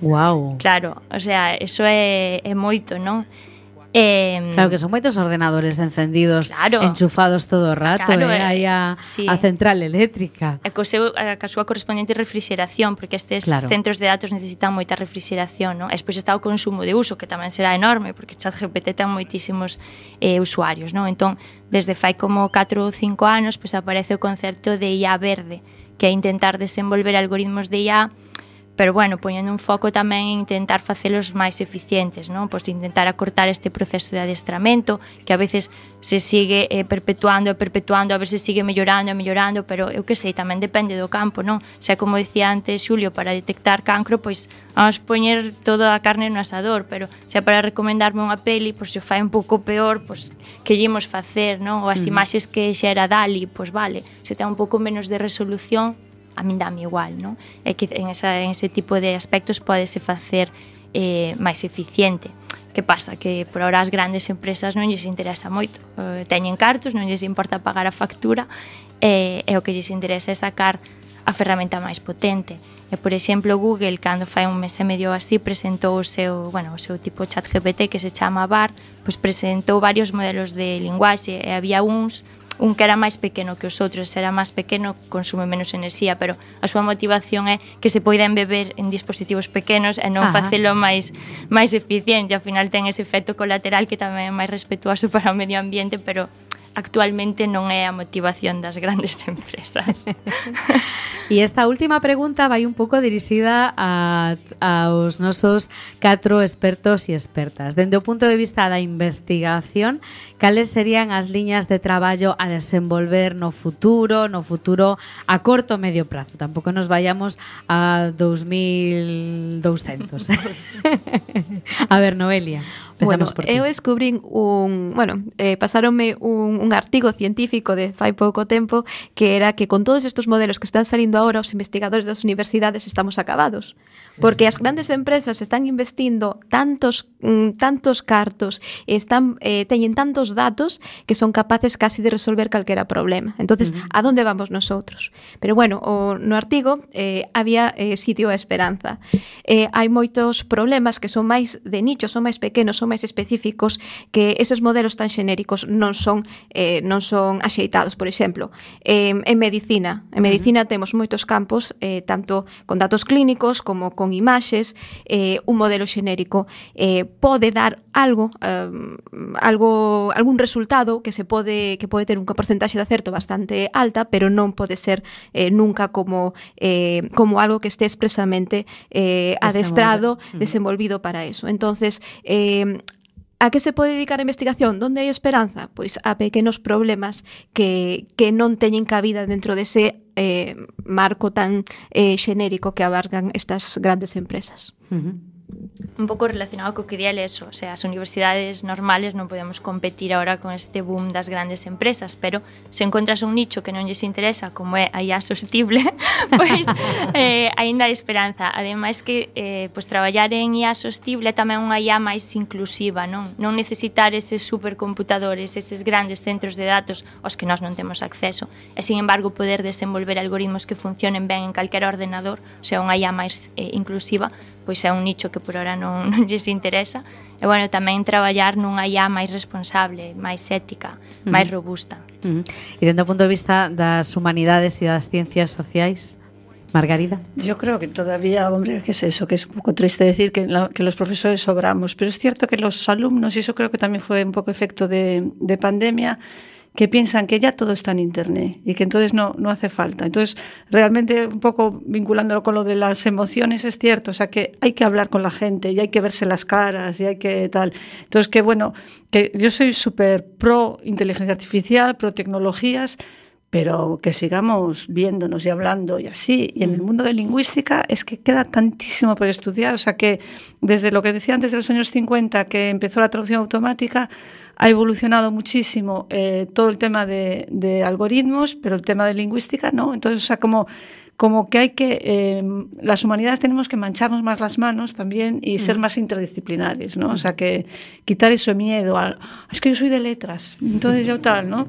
Speaker 1: Wow.
Speaker 2: Claro, o sea, eso é, é moito, non? Eh,
Speaker 1: claro que son moitos ordenadores encendidos,
Speaker 2: claro,
Speaker 1: enchufados todo o rato, claro, eh, aí a, sí. a central eléctrica.
Speaker 2: E co seu, a, a súa correspondente refrigeración, porque estes claro. centros de datos necesitan moita refrigeración, non? E despois está o consumo de uso, que tamén será enorme, porque ChatGPT ten moitísimos eh, usuarios, non? Entón, desde fai como catro ou cinco anos, pois aparece o concepto de I A verde, que é intentar desenvolver algoritmos de I A, pero bueno, poñendo un foco tamén en intentar facelos máis eficientes, non? Pois intentar acortar este proceso de adestramento, que a veces se sigue eh, perpetuando e perpetuando, a ver se sigue mellorando e mellorando, pero eu que sei, tamén depende do campo, non? Xa como dicía antes Xulio, para detectar cancro, pois vamos poñer toda a carne no asador, pero xa para recomendarme unha peli, pois se fai un pouco peor, pois que llemos facer, non? Ou as imaxes que xa era Dali, pois vale, se ten un pouco menos de resolución, a min dame igual, non? É que en, esa, en ese tipo de aspectos podese facer eh, máis eficiente. Que pasa? Que por ahora as grandes empresas non lles interesa moito. Eh, teñen cartos, non lles importa pagar a factura, eh, e o que lles interesa é sacar a ferramenta máis potente. E, por exemplo, Google, cando fai un mes e medio así, presentou o seu, bueno, o seu tipo ChatGPT que se chama Bard, pois presentou varios modelos de linguaxe, e había uns un que era máis pequeno que os outros, era máis pequeno, consume menos enerxía, pero a súa motivación é que se poidan beber en dispositivos pequenos e non Ajá. facelo máis máis eficiente. Ao final ten ese efecto colateral que tamén é máis respetuoso para o medio ambiente, pero actualmente non é a motivación das grandes empresas.
Speaker 1: E esta última pregunta vai un pouco dirixida a, aos nosos catro expertos e expertas. Dende o punto de vista da investigación, cales serían as liñas de traballo a desenvolver no futuro, no futuro a corto o medio prazo? Tampouco nos vayamos a dous mil douscentos. A ver, Noelia.
Speaker 5: Bueno, eu descubrín un, bueno, eh, pasaronme un, un artigo científico de fai pouco tempo que era que con todos estes modelos que están salindo agora os investigadores das universidades estamos acabados, porque as grandes empresas están investindo tantos mm, tantos cartos, están eh, teñen tantos datos que son capaces casi de resolver calquera problema. Entonces, uh-huh. a donde vamos nosotros? Pero bueno, o, no artigo eh, había eh, sitio a esperanza. Eh, hai moitos problemas que son máis de nicho, son máis pequenos, son máis específicos, que esos modelos tan xenéricos non son eh, non son axeitados. Por exemplo, eh, en medicina, en medicina uh-huh. temos moitos campos, eh, tanto con datos clínicos como con imaxes. Eh, un modelo xenérico eh, pode dar algo, eh, algo, algún resultado que se pode que pode ter unha porcentaxe de acerto bastante alta, pero non pode ser eh, nunca como eh, como algo que esté expresamente eh, adestrado, uh-huh. desenvolvido para eso. Entonces, eh, a que se pode dedicar a investigación? Donde hai esperanza? Pois a pequenos problemas que, que non teñen cabida dentro dese eh, marco tan eh, xenérico que abarcan estas grandes empresas.
Speaker 1: Uh-huh.
Speaker 2: Un pouco relacionado co que di eso, o sea, as universidades normales non podemos competir agora con este boom das grandes empresas, pero se encontras un nicho que non lles interesa, como é a I A sostible, pois eh, aínda hai esperanza. Ademais que eh, pois, traballar en I A sostible é tamén unha I A máis inclusiva, non? Non necesitar eses supercomputadores, eses grandes centros de datos aos que nós non temos acceso, e, sin embargo, poder desenvolver algoritmos que funcionen ben en calquera ordenador, o sea, unha I A máis eh, inclusiva, pois é un nicho que por ahora non, non lles interesa. E, bueno, tamén traballar nunha I A máis responsable, máis ética, uh-huh. máis robusta.
Speaker 1: Uh-huh. E dentro do punto de vista das humanidades e das ciencias sociais, Margarida.
Speaker 3: Yo creo que todavía, hombre, ¿qué es eso? Que es un poco triste decir que, la, que los profesores sobramos, pero es cierto que los alumnos, y eso creo que también fue un poco efecto de, de pandemia, que piensan que ya todo está en Internet y que entonces no, no hace falta. Entonces, realmente, un poco vinculándolo con lo de las emociones, es cierto, o sea, que hay que hablar con la gente y hay que verse las caras y hay que tal. Entonces, que bueno, que yo soy súper pro inteligencia artificial, pro tecnologías, pero que sigamos viéndonos y hablando y así. Y en el mundo de lingüística es que queda tantísimo por estudiar, o sea, que desde lo que decía antes de los años cincuenta, que empezó la traducción automática, ha evolucionado muchísimo eh, todo el tema de, de algoritmos, pero el tema de lingüística no. Entonces, o sea, como, como que hay que... Eh, las humanidades tenemos que mancharnos más las manos también y ser más interdisciplinares, ¿no? O sea, que quitar ese miedo a... Es que yo soy de letras, entonces yo tal, ¿no?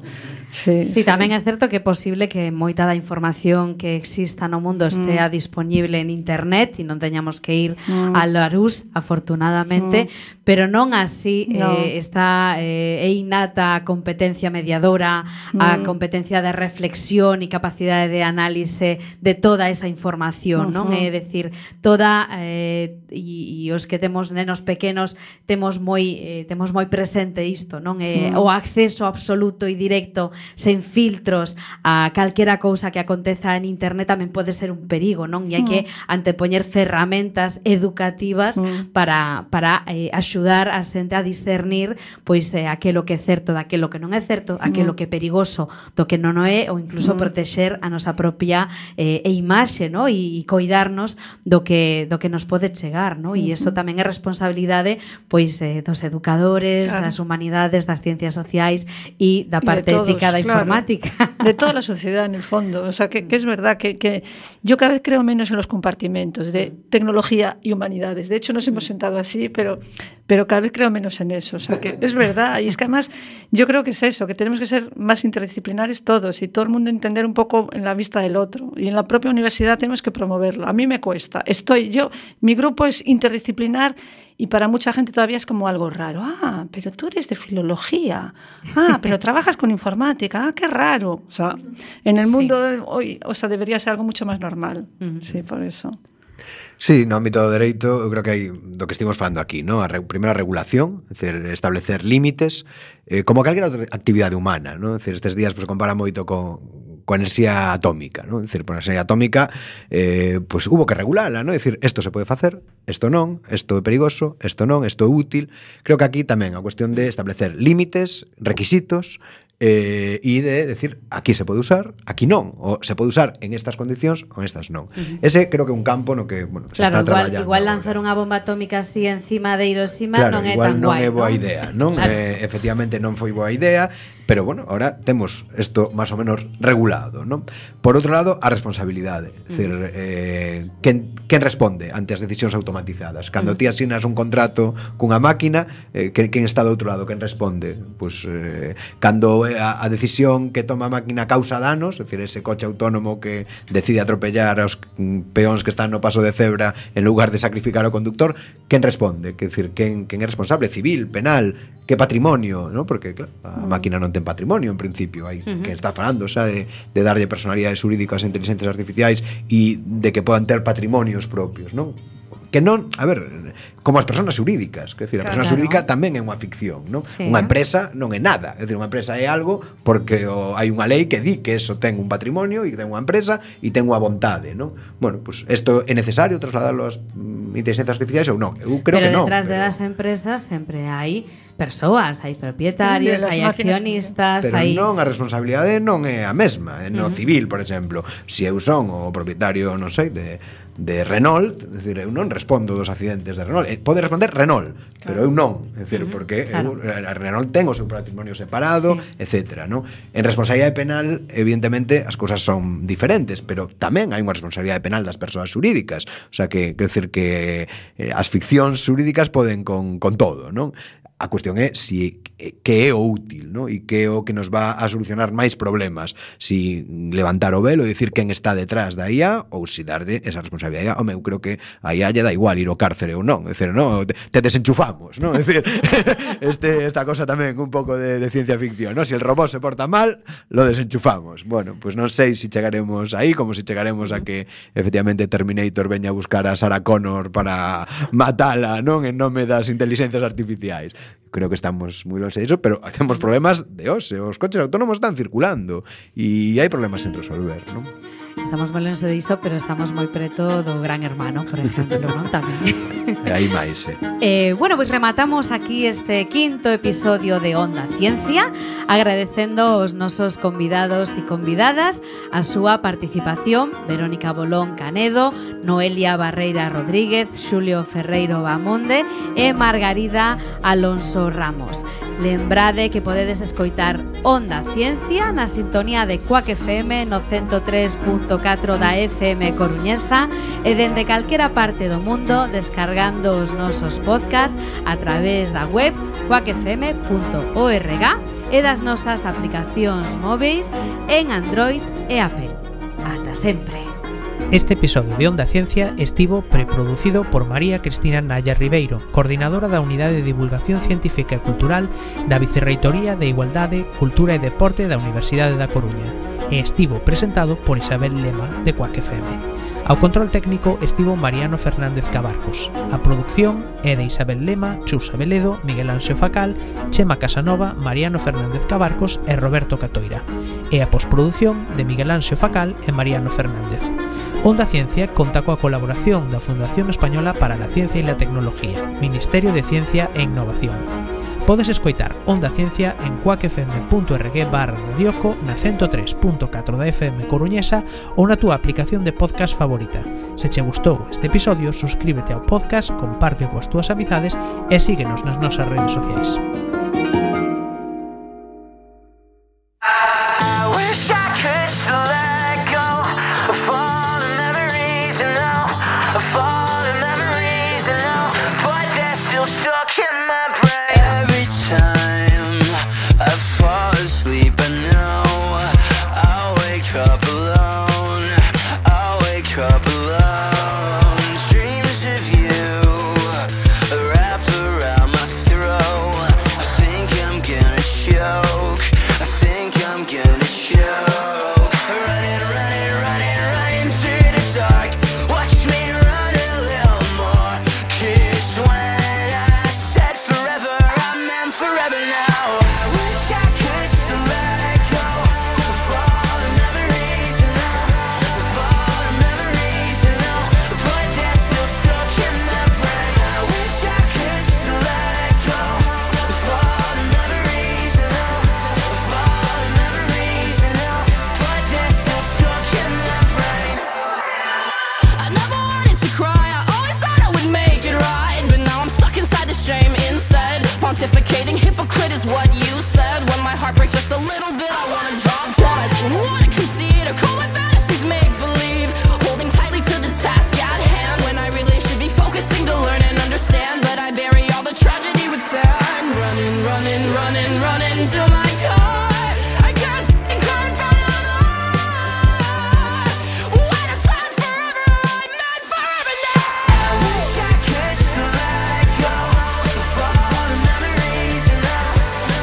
Speaker 3: Sí,
Speaker 1: sí,
Speaker 3: sí,
Speaker 1: tamén é certo que é posible que moita da información que exista no mundo estea mm. disponible en internet e non teñamos que ir mm. a Larús, afortunadamente, mm. pero non así no. eh, está eh, é innata a competencia mediadora, mm. a competencia de reflexión e capacidade de análise de toda esa información, uh-huh. non? É dicir, toda eh, e, e os que temos nenos pequenos temos moi eh, temos moi presente isto, non? Eh, mm. o acceso absoluto e directo sen filtros a calquera cousa que aconteza en internet tamén pode ser un perigo, non? E hai que antepoñer ferramentas educativas mm. para, para eh, axudar a xente a discernir pois eh, aquelo que é certo daquelo que non é certo, aquelo que é perigoso do que non o é, ou incluso mm. protexer a nosa propia eh, e imaxe, no? E, e coidarnos do que, do que nos pode chegar, no? E iso tamén é responsabilidade pois eh, dos educadores, claro. das humanidades, das ciencias sociais e da parte
Speaker 3: todos,
Speaker 1: ética da informática.
Speaker 3: Claro, de toda la sociedad, en el fondo. O sea, que, que es verdad que, que yo cada vez creo menos en los compartimentos de tecnología y humanidades. De hecho, nos hemos sentado así, pero, pero cada vez creo menos en eso. O sea, que es verdad. Y es que además, yo creo que es eso, que tenemos que ser más interdisciplinares todos y todo el mundo entender un poco en la vista del otro. Y en la propia universidad tenemos que promoverlo. A mí me cuesta. Estoy yo, mi grupo es interdisciplinar y para mucha gente todavía es como algo raro. Ah, pero tú eres de filología. Ah, pero trabajas con informática. Ah, qué raro. O sea, en el mundo sí. de hoy, o sea, debería ser algo mucho más normal. Uh-huh. Sí, por eso.
Speaker 4: Sí, no ámbito do dereito, eu creo que hai do que estivemos falando aquí, ¿no? A re, primeira regulación, é dicir, establecer límites, eh, como calquera outra actividade humana, ¿no? É dicir, estes días pues, se compara moito con, con enerxía atómica, ¿no? É dicir, por enerxía atómica, eh, pues hubo que regulala, ¿no? É dicir, isto se pode facer, isto non, isto é perigoso, isto non, isto é útil. Creo que aquí tamén a cuestión de establecer límites, requisitos, Eh, e de decir, aquí se pode usar, aquí non, o se pode usar en estas condicións ou en estas non. Uh-huh. Ese creo que é un campo no que, bueno, se
Speaker 1: claro,
Speaker 4: está
Speaker 1: igual,
Speaker 4: traballando.
Speaker 1: Igual lanzar unha bomba atómica así encima de Hiroshima
Speaker 4: claro,
Speaker 1: non é
Speaker 4: igual
Speaker 1: tan
Speaker 4: non
Speaker 1: guai,
Speaker 4: é boa
Speaker 1: non?
Speaker 4: idea, non? Claro. Eh, efectivamente non foi boa idea, pero bueno, ahora temos isto máis ou menos regulado, non? Por outro lado, a responsabilidade, é dicir, eh, quen, quen responde ante as decisións automatizadas? Cando ti asinas un contrato cunha máquina, eh, quen, quen está do outro lado, quen responde? Pois eh, cando a, a decisión que toma a máquina causa danos, é dicir, ese coche autónomo que decide atropellar aos peóns que están no paso de cebra en lugar de sacrificar ao conductor, quen responde? Quer dicir, quen, quen é responsable? Civil, penal, que patrimonio, ¿no? Porque claro, a uh-huh. máquina non ten patrimonio en principio, hai uh-huh. quen está falando, xa de, de darlle personalidades jurídicas a inteligencias artificiais e de que podan ter patrimonios propios, non? Que non, a ver, como as persoas xurídicas, quer decir, a persona
Speaker 1: claro.
Speaker 4: xurídica tamén é unha ficción, non?
Speaker 1: Sí.
Speaker 4: Unha empresa non é nada, é dicir, unha empresa é algo porque o, hai unha lei que di que eso ten un patrimonio e que ten unha empresa e ten unha vontade, non? Bueno, pues isto é necesario trasladarlo ás mm, inteligencias artificiais ou non? Eu creo
Speaker 1: pero
Speaker 4: que non.
Speaker 1: Pero detrás
Speaker 4: pero...
Speaker 1: de las empresas sempre hai persoas, hai propietarios, hai accionistas,
Speaker 4: pero
Speaker 1: hai...
Speaker 4: non, a responsabilidade non é a mesma, no uh-huh. civil, por exemplo. Se eu son o propietario, non sei, de de Renault, é dicir, eu non respondo dos accidentes de Renault. Eh, pode responder Renault, claro. pero eu non, é dicir, uh-huh. porque claro. eu, a Renault ten o seu patrimonio separado, sí. etcétera, ¿no? En responsabilidade penal, evidentemente, as cousas son diferentes, pero tamén hai unha responsabilidade penal das persoas xurídicas. O sea, que, quero dicir que eh, as ficcións xurídicas poden con, con todo, non? A cuestión é si que é o útil, ¿no? E que é o que nos va a solucionar máis problemas, si levantar o velo e dicir quen está detrás da I A ou si darlle esa responsabilidade. Home, eu creo que a I A lle da igual ir ao cárcere ou non, é dicir, no, te, te desenchufamos, ¿no? É dicir, este, esta cosa tamén un pouco de, de ciencia ficción, ¿no? Si el robot se porta mal, lo desenchufamos. Bueno, pues non sei se si chegaremos aí, como se si chegaremos a que efectivamente Terminator veña a buscar a Sarah Connor para matala, non? En nome das inteligencias artificiais. Creo que estamos moi longe de iso, pero temos problemas de ose, os coches autónomos están circulando e hai problemas sen resolver, non?
Speaker 1: Estamos moi longe de iso, pero estamos moi preto do Gran Hermano, por exemplo, non? Tamén.
Speaker 4: E aí máis, eh.
Speaker 1: eh. Bueno, pois pues rematamos aquí este quinto episodio de Onda Ciencia, agradecendo aos nosos convidados e convidadas a súa participación, Verónica Bolón Canedo, Noelia Barreira Rodríguez, Xulio Ferreiro Bamonde e Margarida Alonso Ramos. Lembrade que podedes escoitar Onda Ciencia na sintonía de Quack F M no ciento tres punto catro da F M coruñesa e dende calquera parte do mundo descargando os nosos podcasts a través da web quack f m punto org e das nosas aplicacións móveis en Android e Apple. Ata sempre.
Speaker 6: Este episodio de Onda Ciencia estivo preproducido por María Cristina Naya Ribeiro, coordinadora da Unidade de Divulgación Científica e Cultural da Vicerreitoría de Igualdade, Cultura e Deporte da Universidade da Coruña, e estivo presentado por Isabel Lema, de Quack F M. Ao control técnico estivo Mariano Fernández Cabarcos. A produción é de Isabel Lema, Chus Abeledo, Miguel Anxo Facal, Chema Casanova, Mariano Fernández Cabarcos e Roberto Catoira. E a posproducción de Miguel Anxo Facal e Mariano Fernández. Onda Ciencia conta coa colaboración da Fundación Española para la Ciencia e la Tecnología, Ministerio de Ciencia e Innovación. Podes escoitar Onda Ciencia en quack f m punto org barra radioco na ciento tres punto catro da F M coruñesa ou na túa aplicación de podcast favorita. Se che gustou este episodio, suscríbete ao podcast, compárteo coas túas amizades e síguenos nas nosas redes sociais.
Speaker 7: Dreams of you wrapped around my throat. little bit, I wanna drop dead. I didn't wanna concede or call my fantasies make-believe. Holding tightly to the task at hand when I really should be focusing to learn and understand. But I bury all the tragedy with sand. Running, running, running, running to my car. I can't f***ing cry in front of the Lord. When it's not forever, I'm meant forever now. I wish I could just let go of all the memories, you know,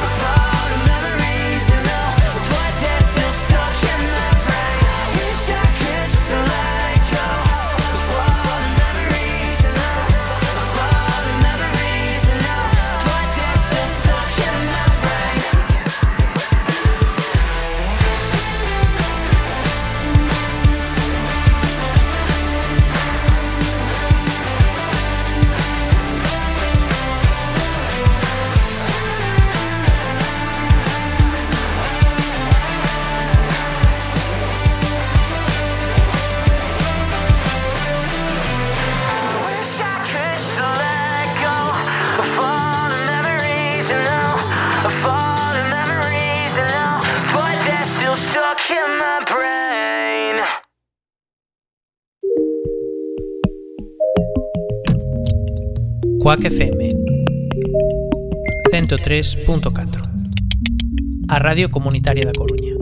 Speaker 7: of all the memories, you know, but they're still stuck in my brain. I wish I could just let go of all the memories, you know, of all the memories, you know, but they're still stuck in my brain. Wish I could just let go of all the memories, you know, of all the memories, you know, but they're still stuck in my brain.
Speaker 6: Quack F M ciento tres punto catro, a Radio Comunitaria da Coruña.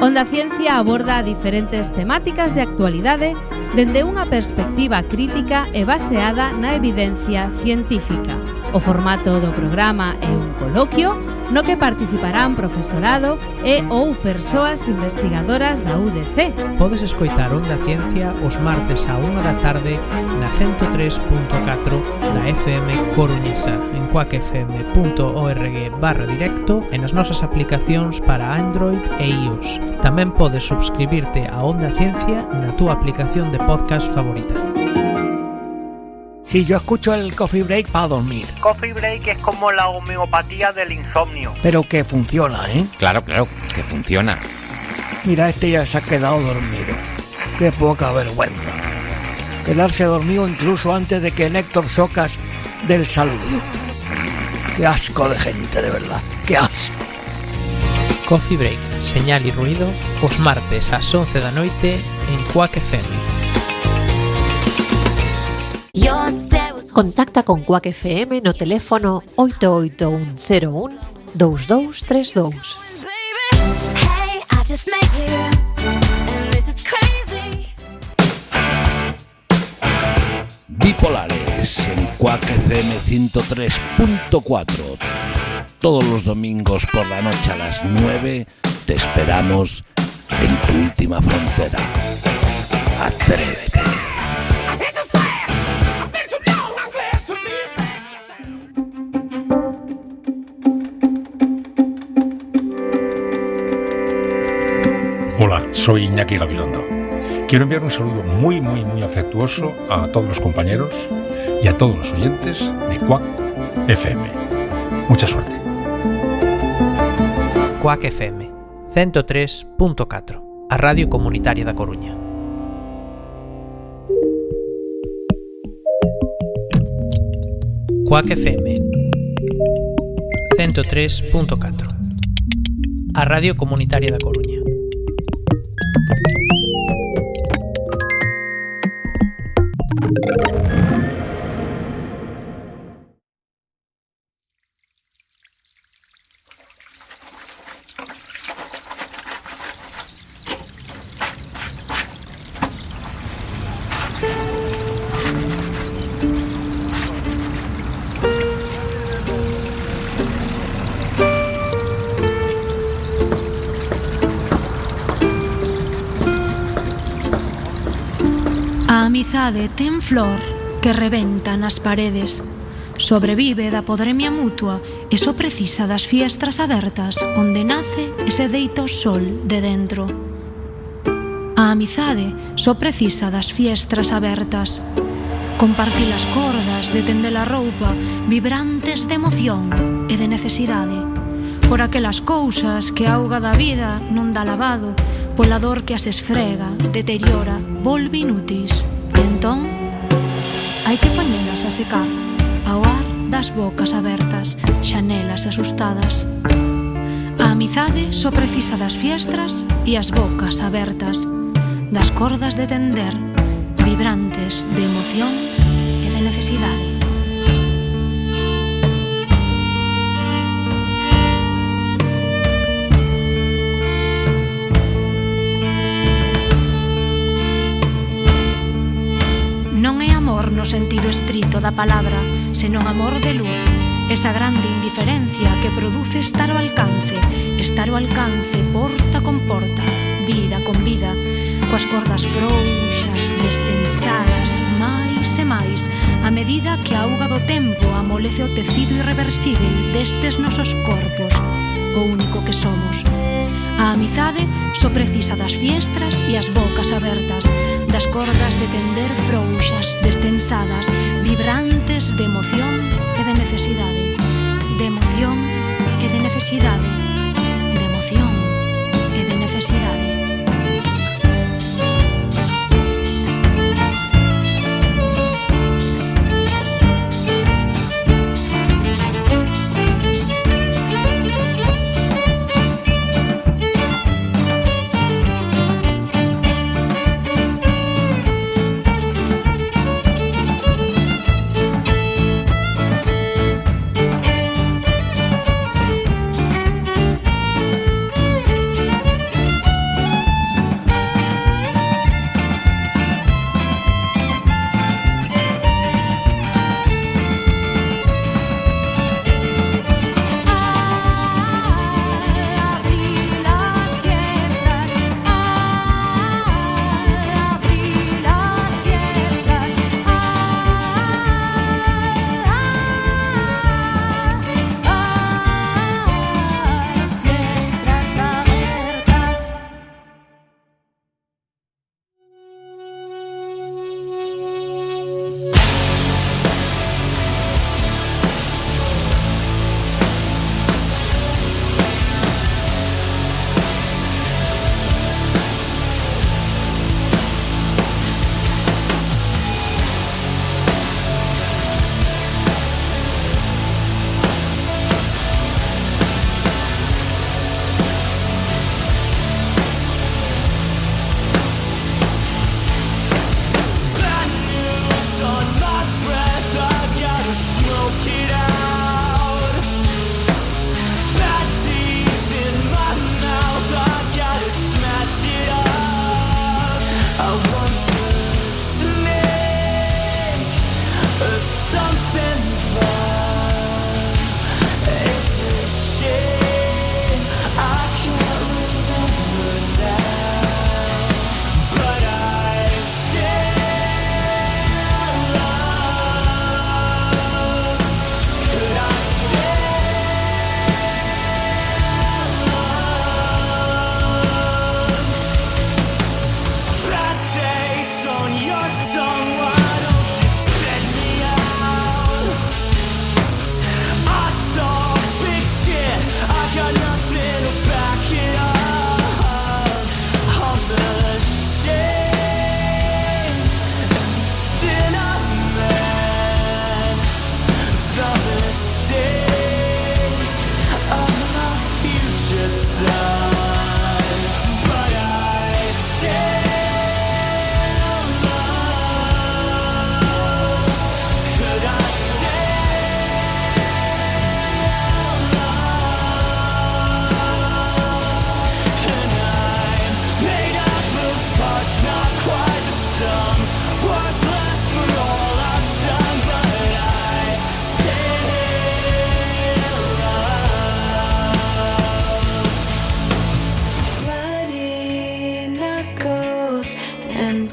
Speaker 1: Onda Ciencia aborda diferentes temáticas de actualidade dende unha perspectiva crítica e baseada na evidencia científica. O formato do programa é un coloquio no que participarán profesorado e ou persoas investigadoras da U D C.
Speaker 6: Podes escoitar Onda Ciencia os martes á unha da tarde na ciento tres punto catro da F M coruñesa en quack f m punto org barra directo e nas nosas aplicacións para Android e iOS. Tamén podes subscribirte a Onda Ciencia na túa aplicación de podcast favorita.
Speaker 8: Sí, yo escucho el Coffee Break para dormir.
Speaker 9: Coffee Break es como la homeopatía del insomnio.
Speaker 8: Pero que funciona, ¿eh?
Speaker 10: Claro, claro, que funciona.
Speaker 8: Mira, este ya se ha quedado dormido. Qué poca vergüenza. Quedarse dormido incluso antes de que Néctor Socas dé el saludo. Qué asco de gente, de verdad. Qué asco.
Speaker 6: Coffee Break, señal e ruido, os martes ás once da noite en Quack F M.
Speaker 11: Contacta con Quack F M no teléfono oito oito un cero un dous dous tres dous.
Speaker 12: Bipolares en Quack F M ciento tres punto cuatro. Todos los domingos por la noche a las nueve te esperamos en tu última frontera. Atrévete.
Speaker 13: Hola, soy Iñaki Gabilondo. Quiero enviar un saludo muy, muy, muy afectuoso a todos los compañeros y a todos los oyentes de Quack F M. Mucha suerte.
Speaker 6: Quack F M ciento tres punto catro, a Radio Comunitaria da Coruña. Quack F M ciento tres punto catro, a Radio Comunitaria da Coruña.
Speaker 14: A amizade ten flor que rebenta nas paredes. Sobrevive da podremia mutua e só precisa das fiestras abertas onde nace e se deita o sol de dentro. A amizade só precisa das fiestras abertas. Compartir as cordas, de tender a roupa, vibrantes de emoción e de necesidade. Por aquelas cousas que a auga da vida non dá lavado, pola dor que as esfrega, deteriora, volve inútis. E entón, hai que poñelas a secar ao ar das bocas abertas, xanelas asustadas. A amizade só precisa das fiestras e as bocas abertas, das cordas de tender, vibrantes de emoción e de necesidade. Non é amor no sentido estrito da palabra, senón amor de luz, esa grande indiferencia que produce estar ao alcance, estar ao alcance porta con porta, vida con vida, coas cordas frouxas, destensadas, máis e máis, a medida que a auga do tempo amolece o tecido irreversible destes nosos corpos, o único que somos. A amizade só precisa das fiestras e as bocas abertas, das cordas de tender frouxas, destensadas, vibrantes de emoción e de necesidade, de emoción e de necesidade, de emoción e de necesidade.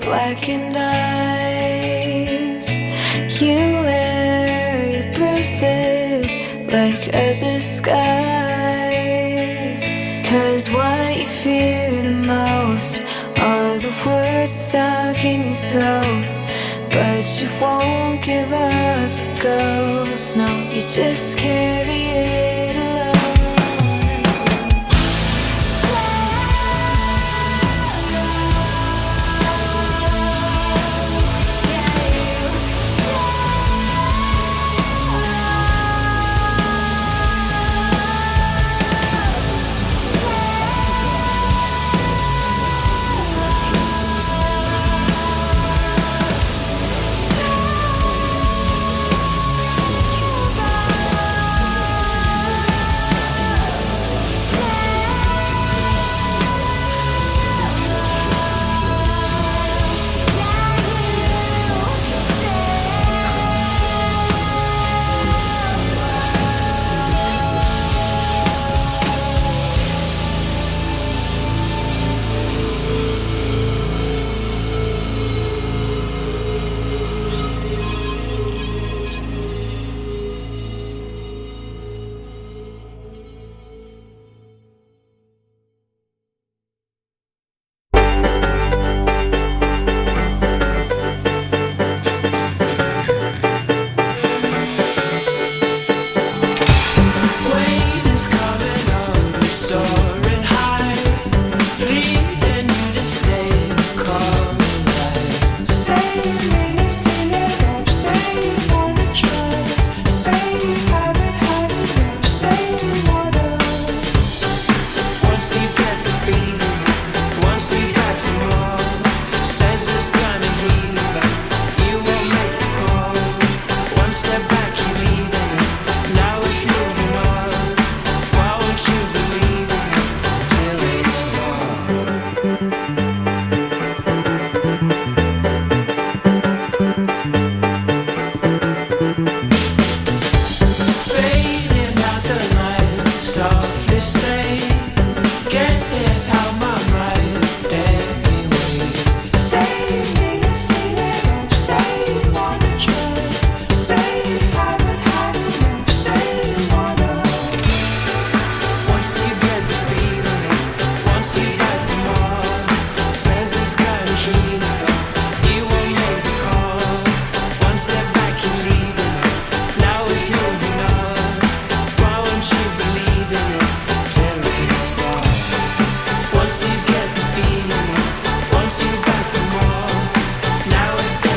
Speaker 15: blackened eyes. You wear your bruises like a disguise. Cause what you fear the most are the words stuck in your throat. But you won't give up the ghost, no, you just carry it.